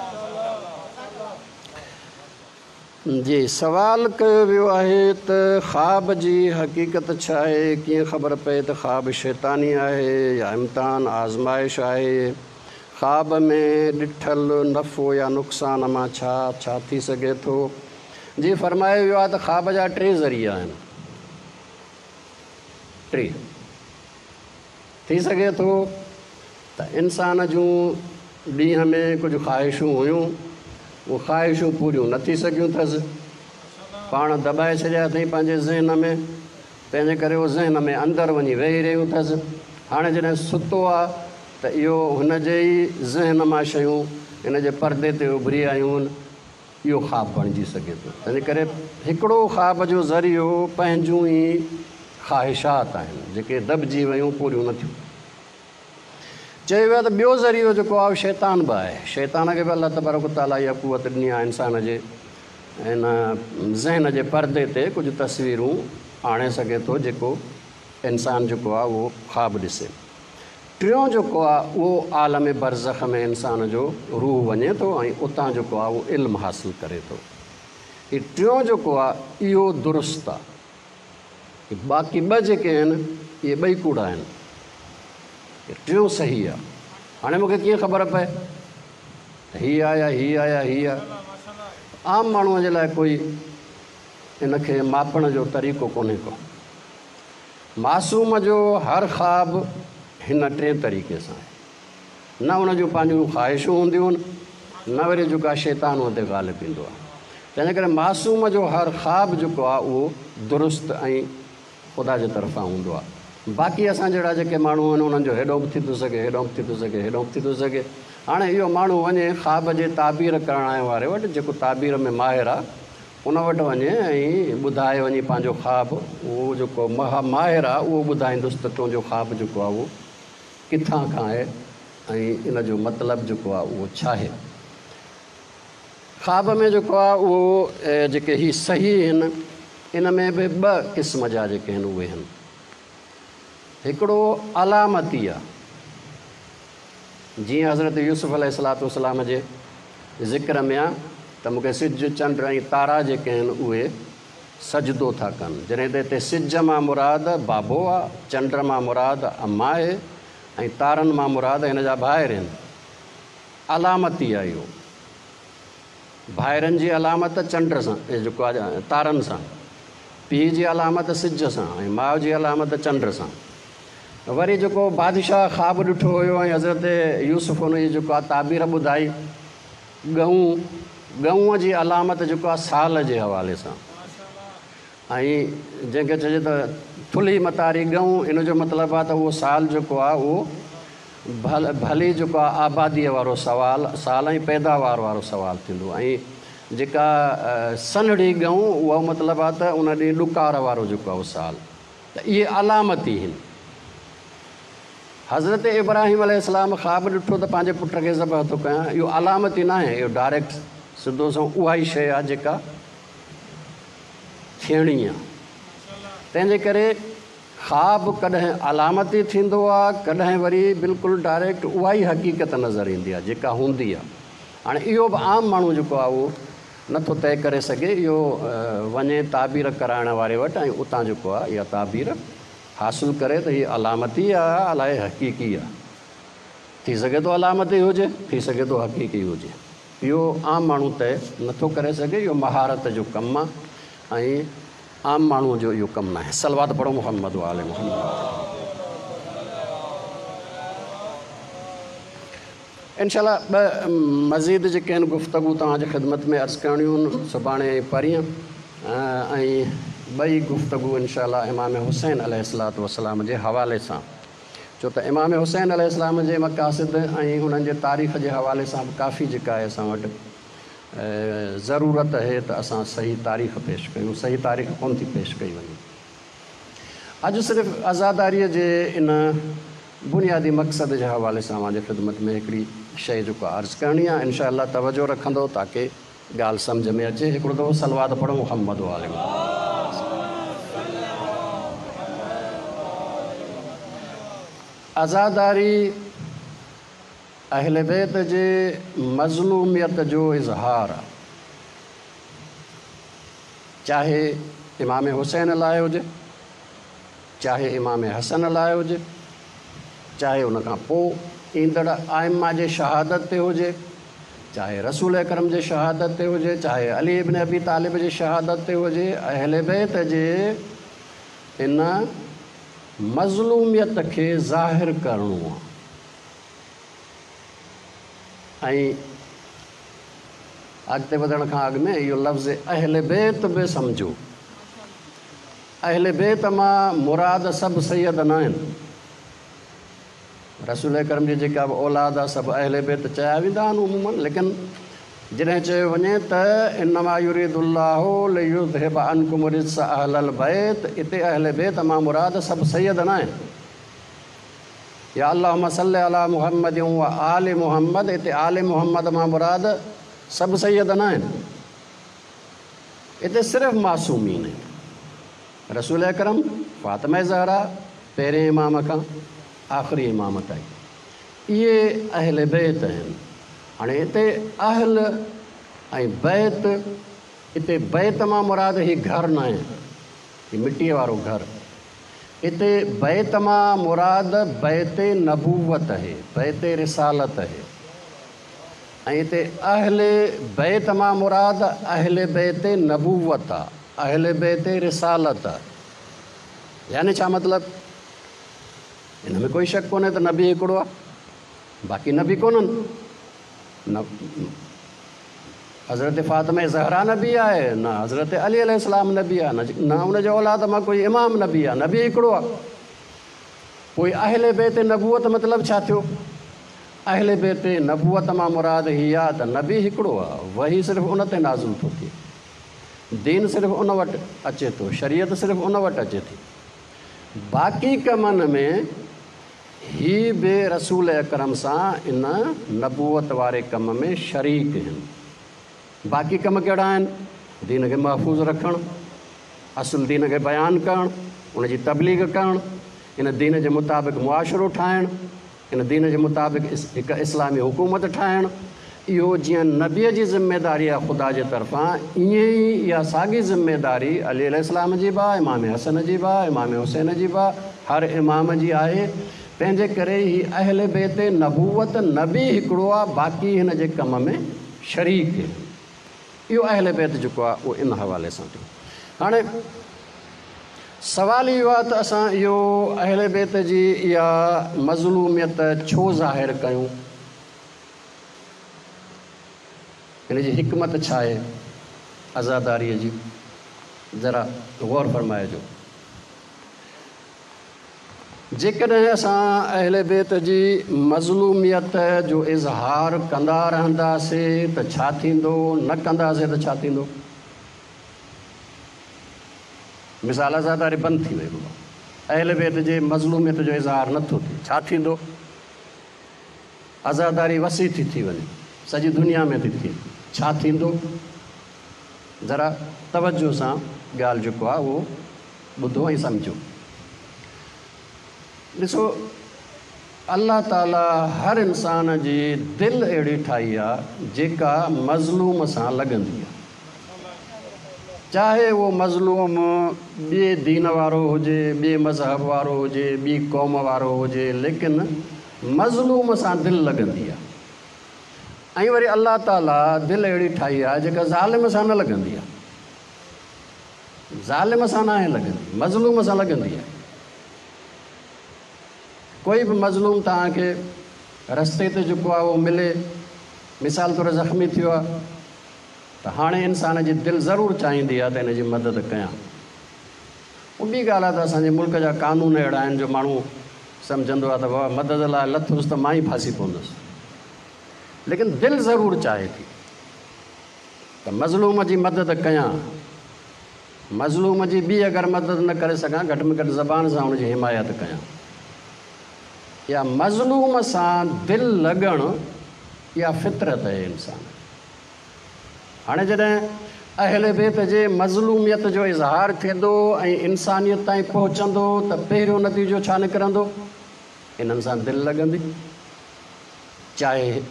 Speaker 1: جي سوال ڪيو ويو آهي ته خواب جي حقيقت ڇا آهي؟ ڪيئن خبر پئي ته خواب شيطاني آهي يا امتحان، آزمائش، آهي؟ خواب ۾ ڏٺل نفعو يا نقصان مان ڇا ڇا ٿي سگهي ٿو؟ جي فرمايو ويو آهي ته خواب جا ٽي ذريعا آهن. ٽي. ٿي سگهي ٿو ته انسان جون ڏينهن ۾ ڪجهه خواهشون هيون، اهي خواهشون پوريون نه ٿي سگهيون اٿس، پاڻ دٻائي ڇڏيا اٿئي پنهنجي ذهن ۾، تنهن جي ڪري اهو ذهن ۾ اندر وڃي ويهي رهيون اٿس. هاڻي جڏهن ستو آ ته اهو هن جي ئي ذهن مان شيون ان جي پردي تي اڀري آيون آهن، اهو خواب بڻجي سگهي ٿو. تنهنجي ڪري هڪڙو خواب جو ذريعو پنهنجون ئي خواهشات آهن، جيڪي دٻجي ويون، پوريون نه ٿيون. چيو ويو آهي ته ٻيو ذريعو جيڪو آهي اهو شيطان به آهي. شيطان کي به الله تبارڪ و تعاليٰ اها قوت ڏني آهي انسان جي ان ذهن جي پردي تي ڪجهه تصويرون آڻي سگهي ٿو جيڪو انسان جيڪو آهي اهو خواب ڏسي. ٽيون جيڪو آهي اهو عالم برزخ ۾ انسان جو روح وڃي ٿو ۽ اتان جيڪو آهي اهو علم حاصل ڪري ٿو. هي ٽيون جيڪو آهي اهو درست آهي. باقي ٻه جيڪي آهن اهي ٻئي ڪوڙا آهن. ٽيون صحيح آهي. هاڻي مون کي ڪيئن خبر پئي ته هي آ يا هي آ يا هي آ؟ عام ماڻهوء جي لاء ڪوئي ان کي ماپڻ جو طريقو ڪونهي ڪو. معصوم جو هر خواب هن ٽئين طريقي سان آهي. نه ان جون پنهنجون خواهشون هونديون آهن، نه وري جيڪو آهي شيطان ان تي غالب ايندو آهي. تنهنجي ڪري معصوم جو هر خواب جيڪو آهي اهو درست ۽ خدا جي طرفان هوندو آهي. باقي اسان جهڙا جيڪي ماڻهو آهن انهن جو هيڏو به ٿي ٿو سگهي، هيڏو به ٿي ٿو سگهي، هيڏو به ٿي ٿو سگهي. هاڻي اهو ماڻهو وڃي خواب جي تعبير ڪرڻ واري وٽ جيڪو تعبير ۾ ماهر آهي ان وٽ وڃي ۽ ٻڌائي وڃي پنهنجو خواب، اهو جيڪو ماهر آهي اهو ٻڌائيندس ته تنهنجو خواب جيڪو آهي اهو ڪٿان کان آهي ۽ ان جو مطلب جيڪو آهي اهو ڇاهي؟ خواب ۾ جيڪو آهي اهو جيڪي هي صحيح آهن ان ۾ به ٻه قسم جا جيڪي آهن اهي آهن. هڪڙو علامتي آهي جيئن حضرت يوسف عليه الصلوة والسلام جي ذڪر ۾ آهي ته مون کي سج، چنڊ ۽ تارا جيڪي آهن اهي سجدو ٿا ڪن، جڏهن ته هتي سج مان مراد بابو آ، چنڊ مان مراد اما آهي ۽ تارن مان مراد هن جا ڀائر آهن. علامتي آ اهو. ڀائرن جي علامت چنڊ سان جيڪو آ تارن سان، پيء جي علامت سج سان ۽ ماء جي علامت چنڊ سان. وري جيڪو بادشاهه خواب ڏٺو هيو ۽ حضرت يوسف ان جي جيڪو آ تعبير ٻڌائي. ڳئون، ڳئونء جي علامت جيڪو آهي سال جي حوالي سان ۽ جنهن کي چئجي ته ٿلهي متاري ڳئون ان جو مطلب آهي ته اهو سال جيڪو آهي اهو ڀل ڀلي جيڪو آهي آباديء وارو سوال سال ۽ پيداوار وارو سوال ٿيندو ۽ جيڪا سنهڙي ڳئون اهو مطلب آهي ته ان ڏينهن ڏڪار وارو جيڪو آهي اهو سال ته اهي علامتي هن. حضرت ابراهيم عليه السلام خواب ڏٺو ته پنهنجي پٽ کي ذبح ٿو ڪيان، اهو علامتي ناهي، اهو ڊائريڪٽ سڌو سنئون اها ئي شيء آهي جيڪا ٿيڻي آهي. تنهن جي ڪري خواب ڪڏهن علامتي ٿيندو آهي، ڪڏهن وري بلڪل ڊائريڪٽ اها ئي حقيقت نظر ايندي آهي جيڪا هوندي آهي. هاڻي اهو به عام ماڻهو جيڪو آهي اهو نٿو طئي ڪري سگهي، اهو وڃي تعبير ڪرائڻ واري وٽ ۽ اتان جيڪو آهي اها تعبير حاصل ڪري ته هي علامتي آ الائي حقيقي آ. ٿي سگهي ٿو علامتي هجي، ٿي سگهي ٿو حقيقي هجي. اهو عام ماڻهو طئي نٿو ڪري سگهي، اهو مهارت جو ڪم آ ۽ عام ماڻهوء جو اهو ڪم ناهي. صلوات پڙهو محمد وآل محمد. انشاء الله ٻه مزيد جيڪي آهن گفتگو توهان جي خدمت ۾ عرض ڪرڻيون آهن سڀاڻي ۽ پرينء ۽ ٻئي گفتگو انشاء الله امام حسين عليه الصلوة والسلام جي حوالي سان ڇو ته امام حسين عليه السلام جي مقاصد ۽ انهن جي تاريخ جي حوالي سان به ڪافي جيڪا آهي اسان وٽ ضرورت اهي ته اسان صحيح تاريخ پيش ڪيون صحيح تاريخ ڪونه ٿي پيش ڪئي وڃي. اڄ صرف عزاداريء جي ان بنيادي مقصد جي حوالي سان اوهان جي خدمت ۾ هڪڙي شيء جيڪو عرض ڪرڻي آهي، انشاء الله توجه رکندو تاڪه ڳالهه سمجهه ۾ اچي. هڪڙو دفعو صلوات پڙهو محمد وآل محمد. عزاداري اهل بيت جي مظلوميت جو اظهار آهي. چاهي امام حسين لاء هجي، چاهي امام حسن لاء هجي، چاهي ان کان پوء ايندڙ ائمه جي شهادت تي هجي، چاهي رسول اڪرم جي شهادت تي هجي، چاهي علي ابن ابي طالب جي شهادت تي هجي، اهل بيت جي ان مظلوميت کي ظاهر ڪرڻو آهي ۽ اڳتي وڌڻ کان اڳ ۾ اهو لفظ اهل بيت به سمجهو. اهل بيت مان مراد سڀ سيد ناهن. رسول اڪرم جي جيڪا به اولاد آ سڀ اهل بيت چيا ويندا آهن عموماً ليڪن جڏهن چيو وڃي ته انما يريد الله ليذهب عنڪم الرجس اهل البيت اتي اهل بيت مان مراد سڀ سيد ناهن يا اللهم صل علي محمد و آل محمد اتي آل محمد مان مراد سڀ سيد ناهن اتي صرف معصومين آهن. رسول اڪرم، فاطمه زهرا، پهرين امام کان آخري امام تائين اهي اهل بيت آهن. هاڻي هتي اهل ۽ بيت، هتي بيت مان مراد هي گهر ناهي، هي مٽيء وارو گهر. هتي بيت مان مراد بيت نبوت آهي، بيت رسالت آهي. ۽ هتي اهل بيت مان مراد اهل بيت نبوت آ، اهل بيت رسالت آ. يعني ڇا مطلب؟ ان ۾ ڪوئي شڪ ڪونهي ته نبي هڪڙو آ، باقي نبي ڪونهن. نه حضرت فاطمه زهرا نبي آهي، نه حضرت علي عليه السلام نبي آ، نه ان جي اولاد مان ڪوئي امام نبي آ، نبي هڪڙو آ. پوء اهل بيت نبوت مطلب ڇا ٿيو؟ اهل بيت نبوت مان مراد هي آ ته نبي هڪڙو آ، وحي صرف ان تي نازل ٿو ٿئي، دين صرف ان وٽ اچي ٿو، شريعت صرف ان وٽ اچي ٿي. باقي ڪمن ۾ هي به رسول اڪرم سان ان نبوت واري ڪم ۾ شريڪ هن. باقي ڪم ڪهڙا آهن؟ دين کي محفوظ رکڻ، اصل دين کي بيان ڪرڻ، ان جي تبليغ ڪرڻ، ان دين جي مطابق معاشرو ٺاهڻ، ان دين جي مطابق هڪ اسلامي حڪومت ٺاهڻ، اهو جيئن نبيء جي ذميداري آهي خدا جي طرفان، ائين ئي اها ساڳي ذميداري علي عليه السلام جي به آهي، امام حسن جي به آهي، امام حسين جي به آهي، هر امام جي آهي. تنهن جي ڪري هي اهل بيت نبوت نبي هڪڙو آهي، باقي هن جي ڪم ۾ شريڪ آهن. اهو اهل بيت جيڪو آهي اهو ان حوالي سان ٿيو. هاڻي سوال اهو آهي ته اسان اهو اهل بيت جي اها مظلوميت ڇو ظاهر ڪيون؟ ان جي حڪمت ڇا آهي عزاداريء جي؟ ذرا غور فرمائجو. جيڪڏهن اسان اهل بيت جي مظلوميت جو اظهار ڪندا رهنداسي ته ڇا ٿيندو، نه ڪنداسي ته ڇا ٿيندو؟ مثال عزاداري بند ٿي وئي بابا، اهل بيت جي مظلوميت جو اظهار نه ٿو ٿئي، ڇا ٿيندو؟ عزاداري وسيع ٿي ٿي وڃي، سڄي دنيا ۾ ٿي ٿئي، ڇا ٿيندو؟ ذرا توجه سان ڳالهه جيڪو آهي اهو ٻڌو ۽ سمجهو. ڏسو الله تعالي هر انسان جي دل اهڙي ٺاهي آ جيڪا مظلوم سان لڳندي آ. چاهي اهو مظلوم ٻئي دين وارو هجي، ٻئي مذهب وارو هجي، ٻي قوم وارو هجي ليڪن مظلوم سان دل لڳندي آ. ۽ وري الله تعالي دل اهڙي ٺاهي آ جيڪا ظالم سان نه لڳندي آ. ظالم سان ناهي لڳندي، مظلوم سان لڳندي آهي. ڪوئي به مظلوم توهان کي رستي تي جيڪو آهي اهو ملي، مثال طور زخمي ٿيو آهي ته هاڻي انسان جي دل ضرور چاهيندي آهي ته هن جي مدد ڪيان. اها ٻي ڳالهه آهي ته اسان جي ملڪ جا قانون اهڙا آهن جو ماڻهو سمجهندو آهي ته بابا مدد لاء لٿس ته مان ئي ڦاسي پوندس. ليڪن دل ضرور چاهي ٿي. ته مظلوم جي مدد ڪيان، مظلوم جي ٻي اگر مدد نه ڪري سگهان گهٽ ۾ گهٽ زبان سان ان جي حمايت ڪيان. اها مظلوم سان دل لڳڻ اها فطرت آهي انسان جي. هاڻي جڏهن اهل بيت جي مظلوميت جو اظهار ٿيندو ۽ انسانيت تائين پهچندو ته پهريون نتيجو ڇا نڪرندو؟ انهن سان دل لڳندي. چاهي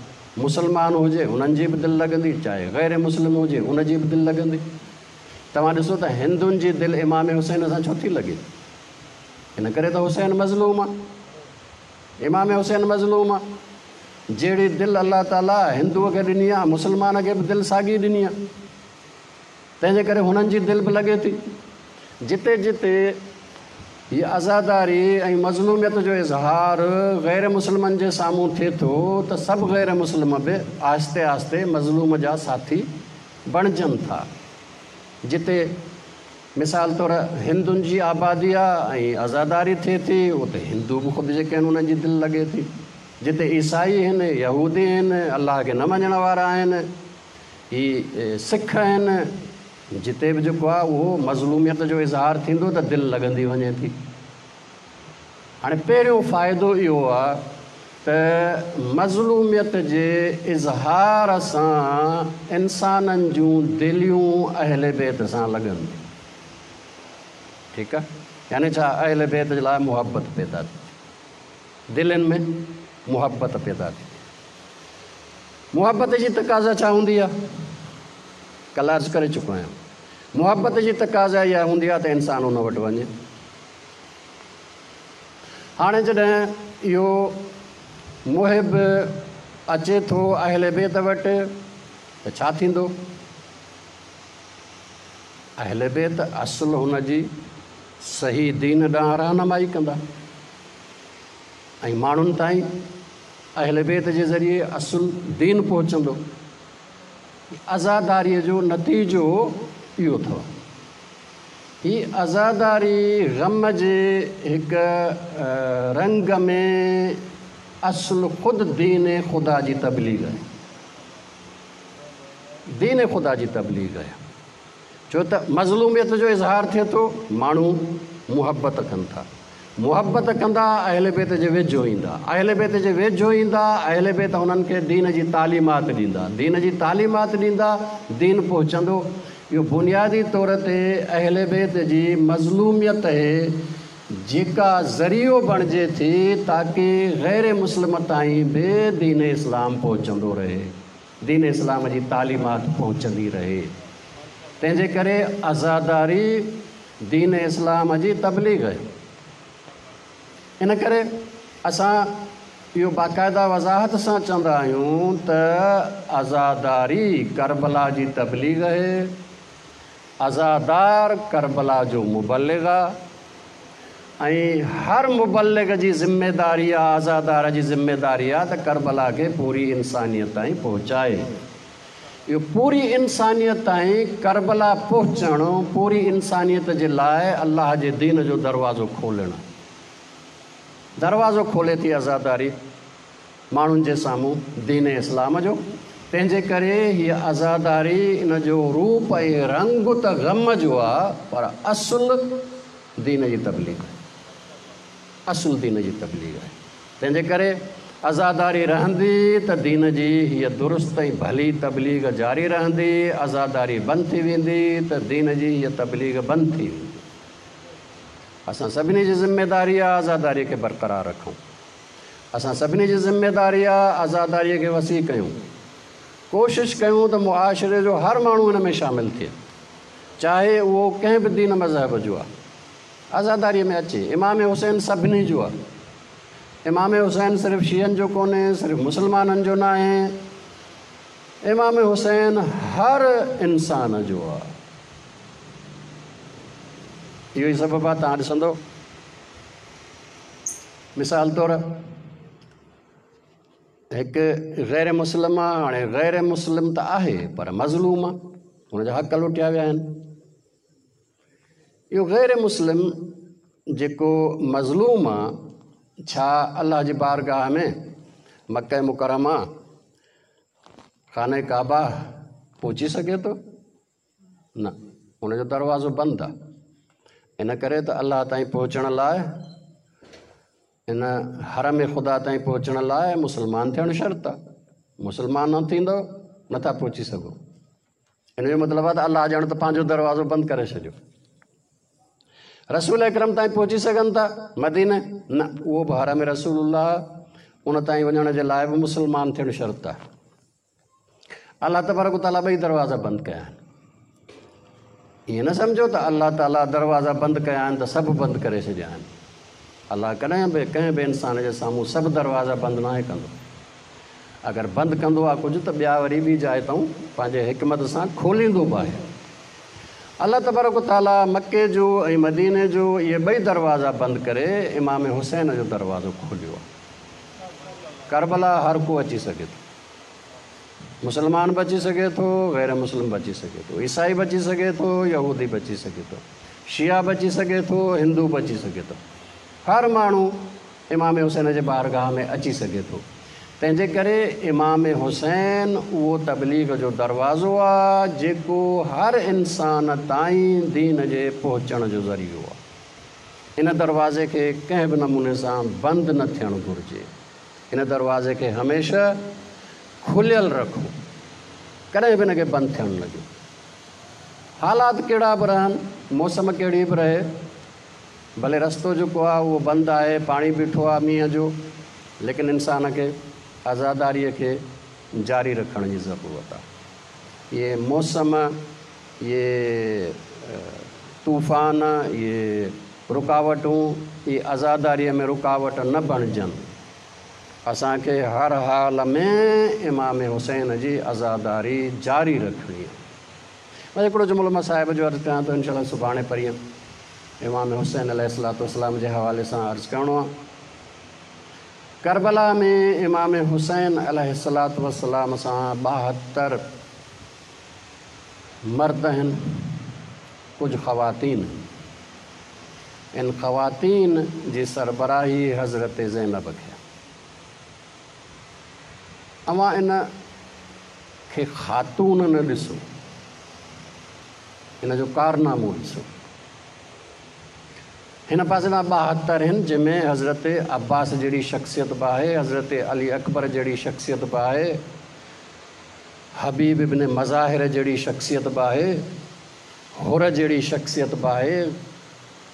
Speaker 1: مسلمان هجي انهن جي به دل لڳندي، چاهي غير مسلم هجي ان جي به دل لڳندي. توهان ڏسو ته هندن جي دل امام حسين سان ڇو ٿي لڳي؟ ان ڪري ته حسين مظلوم آ، امام حسين مظلوم آ. جهڙي دل الله تعاليٰ هندوء کي ڏني آ، مسلمان کي به دل ساڳي ڏني آ. تنهن جي ڪري هنن جي دل به لڳي ٿي. جتي جتي هي عزاداري ۽ مظلوميت جو اظهار غير مسلمن جي سامهون ٿئي ٿو ته سڀ غير مسلم به آهستي آهستي مظلوم جا ساٿي بڻجن ٿا. جتي مثال طور هندن جي آبادي آ ۽ عزاداري ٿئي ٿي اتي هندو به خود جيڪي آهن انهن جي دل لڳي ٿي. جتي عيسائي آهن، يهودي آهن، الله کي نه مڃڻ وارا آهن، هي سک آهن، جتي به جيڪو آهي اهو مظلوميت جو اظهار ٿيندو ته دل لڳندي وڃي ٿي. هاڻي پهريون فائدو اهو آهي ته مظلوميت جي اظهار سان انسانن جون دليون اهل بيت سان لڳن ٿيون. ٺيڪ آهي، يعني ڇا اهل بيت جي لاء محبت پيدا ٿي ٿئي، دلين ۾ محبت پيدا ٿي ٿئي. محبت جي تقاضا ڇا هوندي آهي؟ ڪلهه عرض ڪري چڪو آهيان، محبت جي تقاضا اها هوندي آهي ته انسان ان وٽ وڃي. هاڻي جڏهن اهو محب اچي ٿو اهل بيت وٽ ته ڇا ٿيندو؟ اهل بيت اصل هن جي صحيح دين ڏانهن رهنمائي ڪندا ۽ ماڻهن تائين اهل بيت جي ذريعي اصل دين پهچندو. عزاداريء جو نتيجو اهو اٿو. هي عزاداري غم جي هڪ رنگ ۾ اصل خود دين خدا جي تبليغ آهي. دين خدا جي تبليغ آهي. ڇو ته مظلوميت جو اظهار ٿئي ٿو، ماڻهو محبت ڪن ٿا. محبت ڪندا اهل بيت جي ويجهو ايندا. اهل بيت جي ويجهو ايندا، اهل بيت انهن کي دين جي تعليمات ڏيندا. دين جي تعليمات ڏيندا، دين پهچندو. اهو بنيادي طور تي اهل بيت جي مظلوميت اهي جيڪا ذريعو بڻجي ٿي تاڪه غير مسلم تائين به دين اسلام پهچندو رهي. دين اسلام جي تعليمات پهچندي رهي. تنهن جي ڪري عزاداري دين اسلام جي تبليغ آهي. ان ڪري اسان اهو باقاعده وضاحت سان چوندا آهيون ته عزاداري ڪربلا جي تبليغ آهي، عزادار ڪربلا جو مبلغ آهي ۽ هر مبلغ جي ذميداري آهي، عزادار جي ذميداري آهي ته ڪربلا کي پوري انسانيت تائين پهچائي. اهو پوري انسانيت تائين ڪربلا پهچڻ، پوري انسانيت جي لاء الله جي دين جو دروازو کولڻ. دروازو کولي ٿي عزاداري ماڻهن جي سامهون دين اسلام جو، تنهن جي ڪري هيء عزاداري ان جو روپ ۽ رنگ ته غم جو آ پر اصل دين جي تبليغ آهي. اصل دين جي تبليغ آهي. تنهن جي ڪري عزاداري رهندي ته دين جي هيء درست ۽ ڀلي تبليغ جاري رهندي، عزاداري بند ٿي ويندي ته دين جي هيء تبليغ بند ٿي ويندي. اسان سڀني جي ذميداري آ عزاداريء کي برقرار رکون. اسان سڀني جي ذميداري آ عزاداريء کي وسيع ڪيون. ڪوشش ڪيون ته معاشري جو هر ماڻهو ان ۾ شامل ٿئي، چاهي اهو ڪنهن به دين مذهب جو آ. عزاداريء ۾ اچي. امام حسين سڀني جو آ. امام حسين صرف شيعن جو ڪونهي، صرف مسلمانن جو ناهي. امام حسين هر انسان جو آ. اهو ئي سبب آ توهان ڏسندو مثال طور هڪ غير مسلم آ، هاڻي غير مسلم ته آهي پر مظلوم آ، هن جا حق لٽيا ويا آهن. اهو غير مسلم جيڪو مظلوم آ، ڇا الله جي بارگاهه ۾ مڪه مڪرمه خانه ڪعبه پهچي سگهي ٿو؟ نه، ان جو دروازو بند آ. ان ڪري ته الله تائين پهچڻ لاء، ان حرم خدا تائين پهچڻ لاء مسلمان ٿيڻ شرط آ. مسلمان نه ٿيندو نٿا پهچي سگهو. ان جو مطلب آهي ته الله ڄڻ ته پنهنجو دروازو بند ڪري ڇڏيو. رسول اڪرم تائين پهچي سگهن ٿا مدينه؟ نه، اهو به حرم رسول الله، ان تائين وڃڻ جي لاء به مسلمان ٿيڻ شرط آهي. الله تبارڪ وتعاليٰ ٻئي دروازا بند ڪيا آهن. ائين نه سمجهو ته الله تعاليٰ دروازا بند ڪيا آهن ته سڀ بند ڪري ڇڏيا آهن. الله ڪڏهن به ڪنهن به انسان جي سامهون سڀ دروازا بند ناهي ڪندو. اگر بند ڪندو آ ڪجهه ته ٻيا وري ٻي جاء تئون پنهنجي حڪمت سان کوليندو به آهي. الله تبارڪ و تعاليٰ مڪي جو ۽ مديني جو اهي ٻئي دروازا بند ڪري امام حسين جو دروازو کوليو آ. ڪربلا هر ڪو اچي سگهي ٿو. مسلمان به اچي سگهي ٿو، غير مسلم به اچي سگهي ٿو، عيسائي به اچي سگهي ٿو، يهودي به اچي سگهي ٿو، شيعا به اچي سگهي ٿو، هندو به اچي سگهي ٿو. هر ماڻهو امام حسين جي بارگاهه ۾ اچي سگهي ٿو. تنهن جي ڪري امام حسين اهو تبليغ جو دروازو آ جيڪو هر انسان تائين دين جي پهچڻ جو ذريعو آ. ان دروازي کي ڪنهن به نموني سان بند نه ٿيڻ گهرجي. ان دروازي کي هميشه کليل رکو. ڪڏهن به ان کي بند ٿيڻ نه ڏيو. حالات ڪهڙا به رهن، موسم ڪهڙي به رهي، ڀلي رستو جيڪو آهي اهو بند آهي، پاڻي بيٺو آهي مينهن جو، ليڪن انسان کي عزاداريء کي جاري رکڻ جي ضرورت آهي. اهي موسم، اهي طوفان، اهي رڪاوٽون، اهي عزاداريء ۾ رڪاوٽ نه بڻجن. اسان کي هر حال ۾ امام حسين جي عزاداري جاري رکڻي آهي. بس هڪڙو جملو مان صاحب جو عرض ڪيان ٿو انشاء الله سڀاڻي پرينء امام حسين عليه الصلوة والسلام جي حوالي سان عرض ڪرڻو آهي. ڪربلا ۾ امام حسين عليه الصلوة والسلام سان 72 مرد آهن، ڪجهه خواتين آهن. ان خواتين جي سربراهي حضرت زينب کي آهي. اوهان ان کي خاتون نه ڏسو، ان جو ڪارنامو ڏسو. هن پاسي ڏانهن 72 هن، جنهن ۾ حضرت عباس جهڙي شخصيت به آهي، حضرت علي اڪبر جهڙي شخصيت به آهي، حبيب ابن مظاهر جهڙي شخصيت به آهي، حر جهڙي شخصيت به آهي،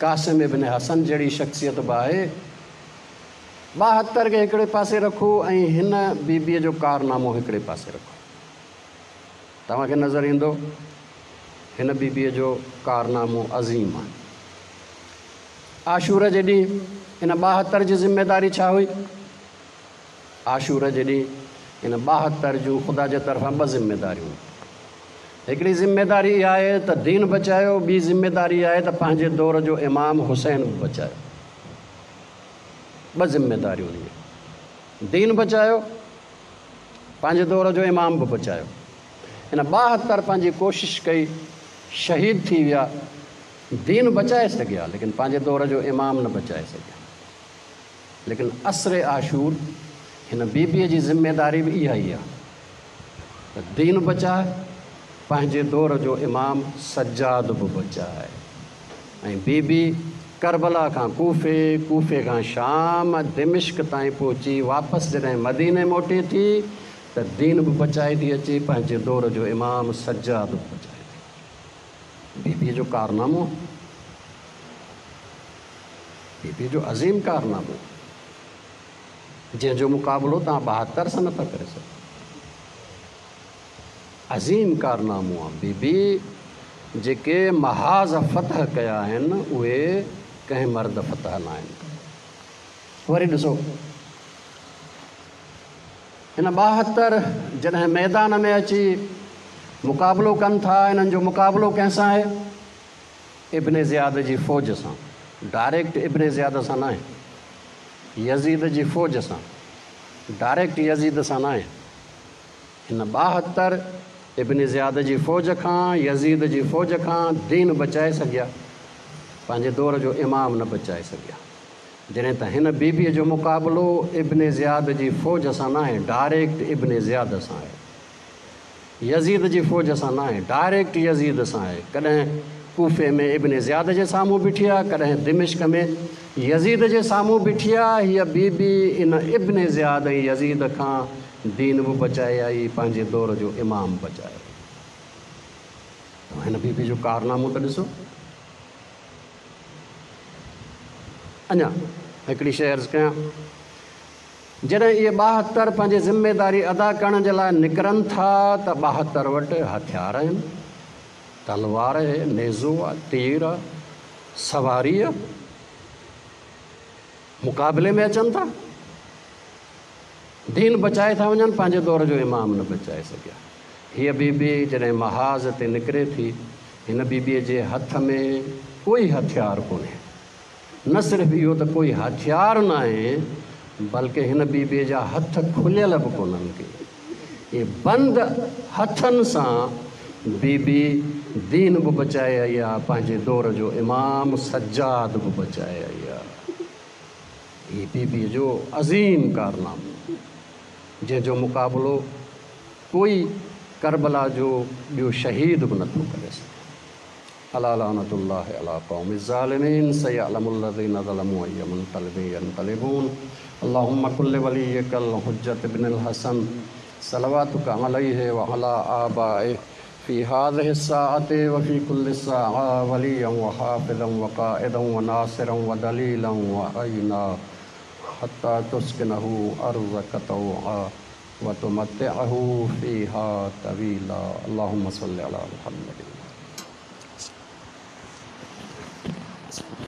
Speaker 1: قاسم ابن حسن جهڙي شخصيت به آهي. 72 کي هڪڙي پاسي رکو ۽ هن بي بيء جو ڪارنامو هڪڙي پاسي رکو. توهان کي نظر ايندو هن بي بيء جو ڪارنامو عظيم آهي. عاشور جي ڏينهن ان 72 جي ذميداري ڇا هئي؟ عاشور جي ڏينهن ان 72 جون خدا جي طرفان ٻه ذميداريون هيون. هڪڙي ذميداري اها آهي ته دين بچايو، ٻي ذميداري اها آهي ته پنهنجي دور جو امام حسين به بچايو. ٻه ذميداريون هيون، دين بچايو، پنهنجي دور جو امام به بچايو. ان 72 پنهنجي ڪوشش ڪئي، شهيد ٿي ويا، دين بچائي سگهيا، ليڪن پنهنجي دور جو امام نه بچائي سگهيا. ليڪن عصر عاشور هن بي بيء جي ذميداري به اها ئي آهي ته دين بچاء، پنهنجي دور جو امام سجاد به بچاء. ۽ بي بي ڪربلا کان ڪوفي، ڪوفي کان شام، دمشق تائين پهچي واپس جڏهن مديني موٽي ٿي ته دين به بچائي ٿي اچي، پنهنجي دور جو امام سجاد به بچائي ٿي اچي. بي بي جو ڪارنامو، بي بي جو عظيم ڪارنامو، جنهن جو مقابلو توهان 72 سان نٿا ڪري سگهو. عظيم ڪارنامو آ. بي بي جيڪي محاذ فتح ڪيا آهن اهي ڪنهن مرد فتح ناهن ڪيا. وري ڏسو هن 72 جڏهن ميدان ۾ اچي مقابلو ڪن ٿا، انهن جو مقابلو ڪنهن سان آهي؟ ابن زياد جي فوج سان. ڊائريڪٽ ابن زياد سان ناهي، يزيد جي فوج سان، ڊائريڪٽ يزيد سان ناهي. هن 72 ابن زياد جي فوج کان، يزيد جي فوج کان دين بچائي سگهيا، پنهنجي دور جو امام نه بچائي سگهيا. جڏهن ته هن بي بيء جو مقابلو ابن زياد جي فوج سان ناهي، ڊائريڪٽ ابن زياد سان آهي. يزيد جي فوج سان ناهي، ڊائريڪٽ يزيد سان آهي. ڪڏهن ڪوفي ۾ ابن زياد جي سامهون بيٺي آهي، ڪڏهن دمشق ۾ يزيد جي سامهون بيٺي آهي. هيء بي بي ان ابن زياد ۽ يزيد کان دين به بچائي آئي، پنهنجي دور جو امام بچائي آئي. توهان هن بي بي جو ڪارنامو ته ڏسو. اڃا هڪڙي شيء عرض ڪيان. جڏهن اهي 72 پنهنجي ذميداري ادا ڪرڻ جي لاء نڪرن ٿا ته 72 وٽ هٿيار آهن، تلوار آهي، نيزو آهي، تير آهي، سواري آهي، مقابلي ۾ اچن ٿا، دين بچائي ٿا وڃن، پنهنجي دور جو امام نه بچائي سگهيا. هيء بي بي جڏهن محاذ تي نڪري ٿي، هن بي بيء جي هٿ ۾ ڪوئي هٿيار ڪونهي. نه صرف اهو ته ڪوئي هٿيار ناهي بلڪه هن بي بيء جا هٿ کليل به ڪونهن ڪي. اهي بند هٿن سان بي بي دين به بچائي آئي آ، پنهنجي دور جو امام سجاد به بچائي آئي آ. هي بي بيء جو عظيم ڪارنامو جنهن جو مقابلو ڪوئي ڪربلا جو ٻيو شهيد به نٿو ڪري سگهي. الا لعنة الله علي القوم الظالمين سيعلم الذين ظلموا اي منقلب ينقلبون اللهم کن لوليک الحجة ابن الحسن صلواتک عليه وعلي آبائه في هذه الساعة وفي كل ساعة وليا وحافظا وقائدا وناصرا ودليلا وعينا حتى تسكنه أرضك طوعا وتمتعه فيها طويلا اللهم صل على محمد.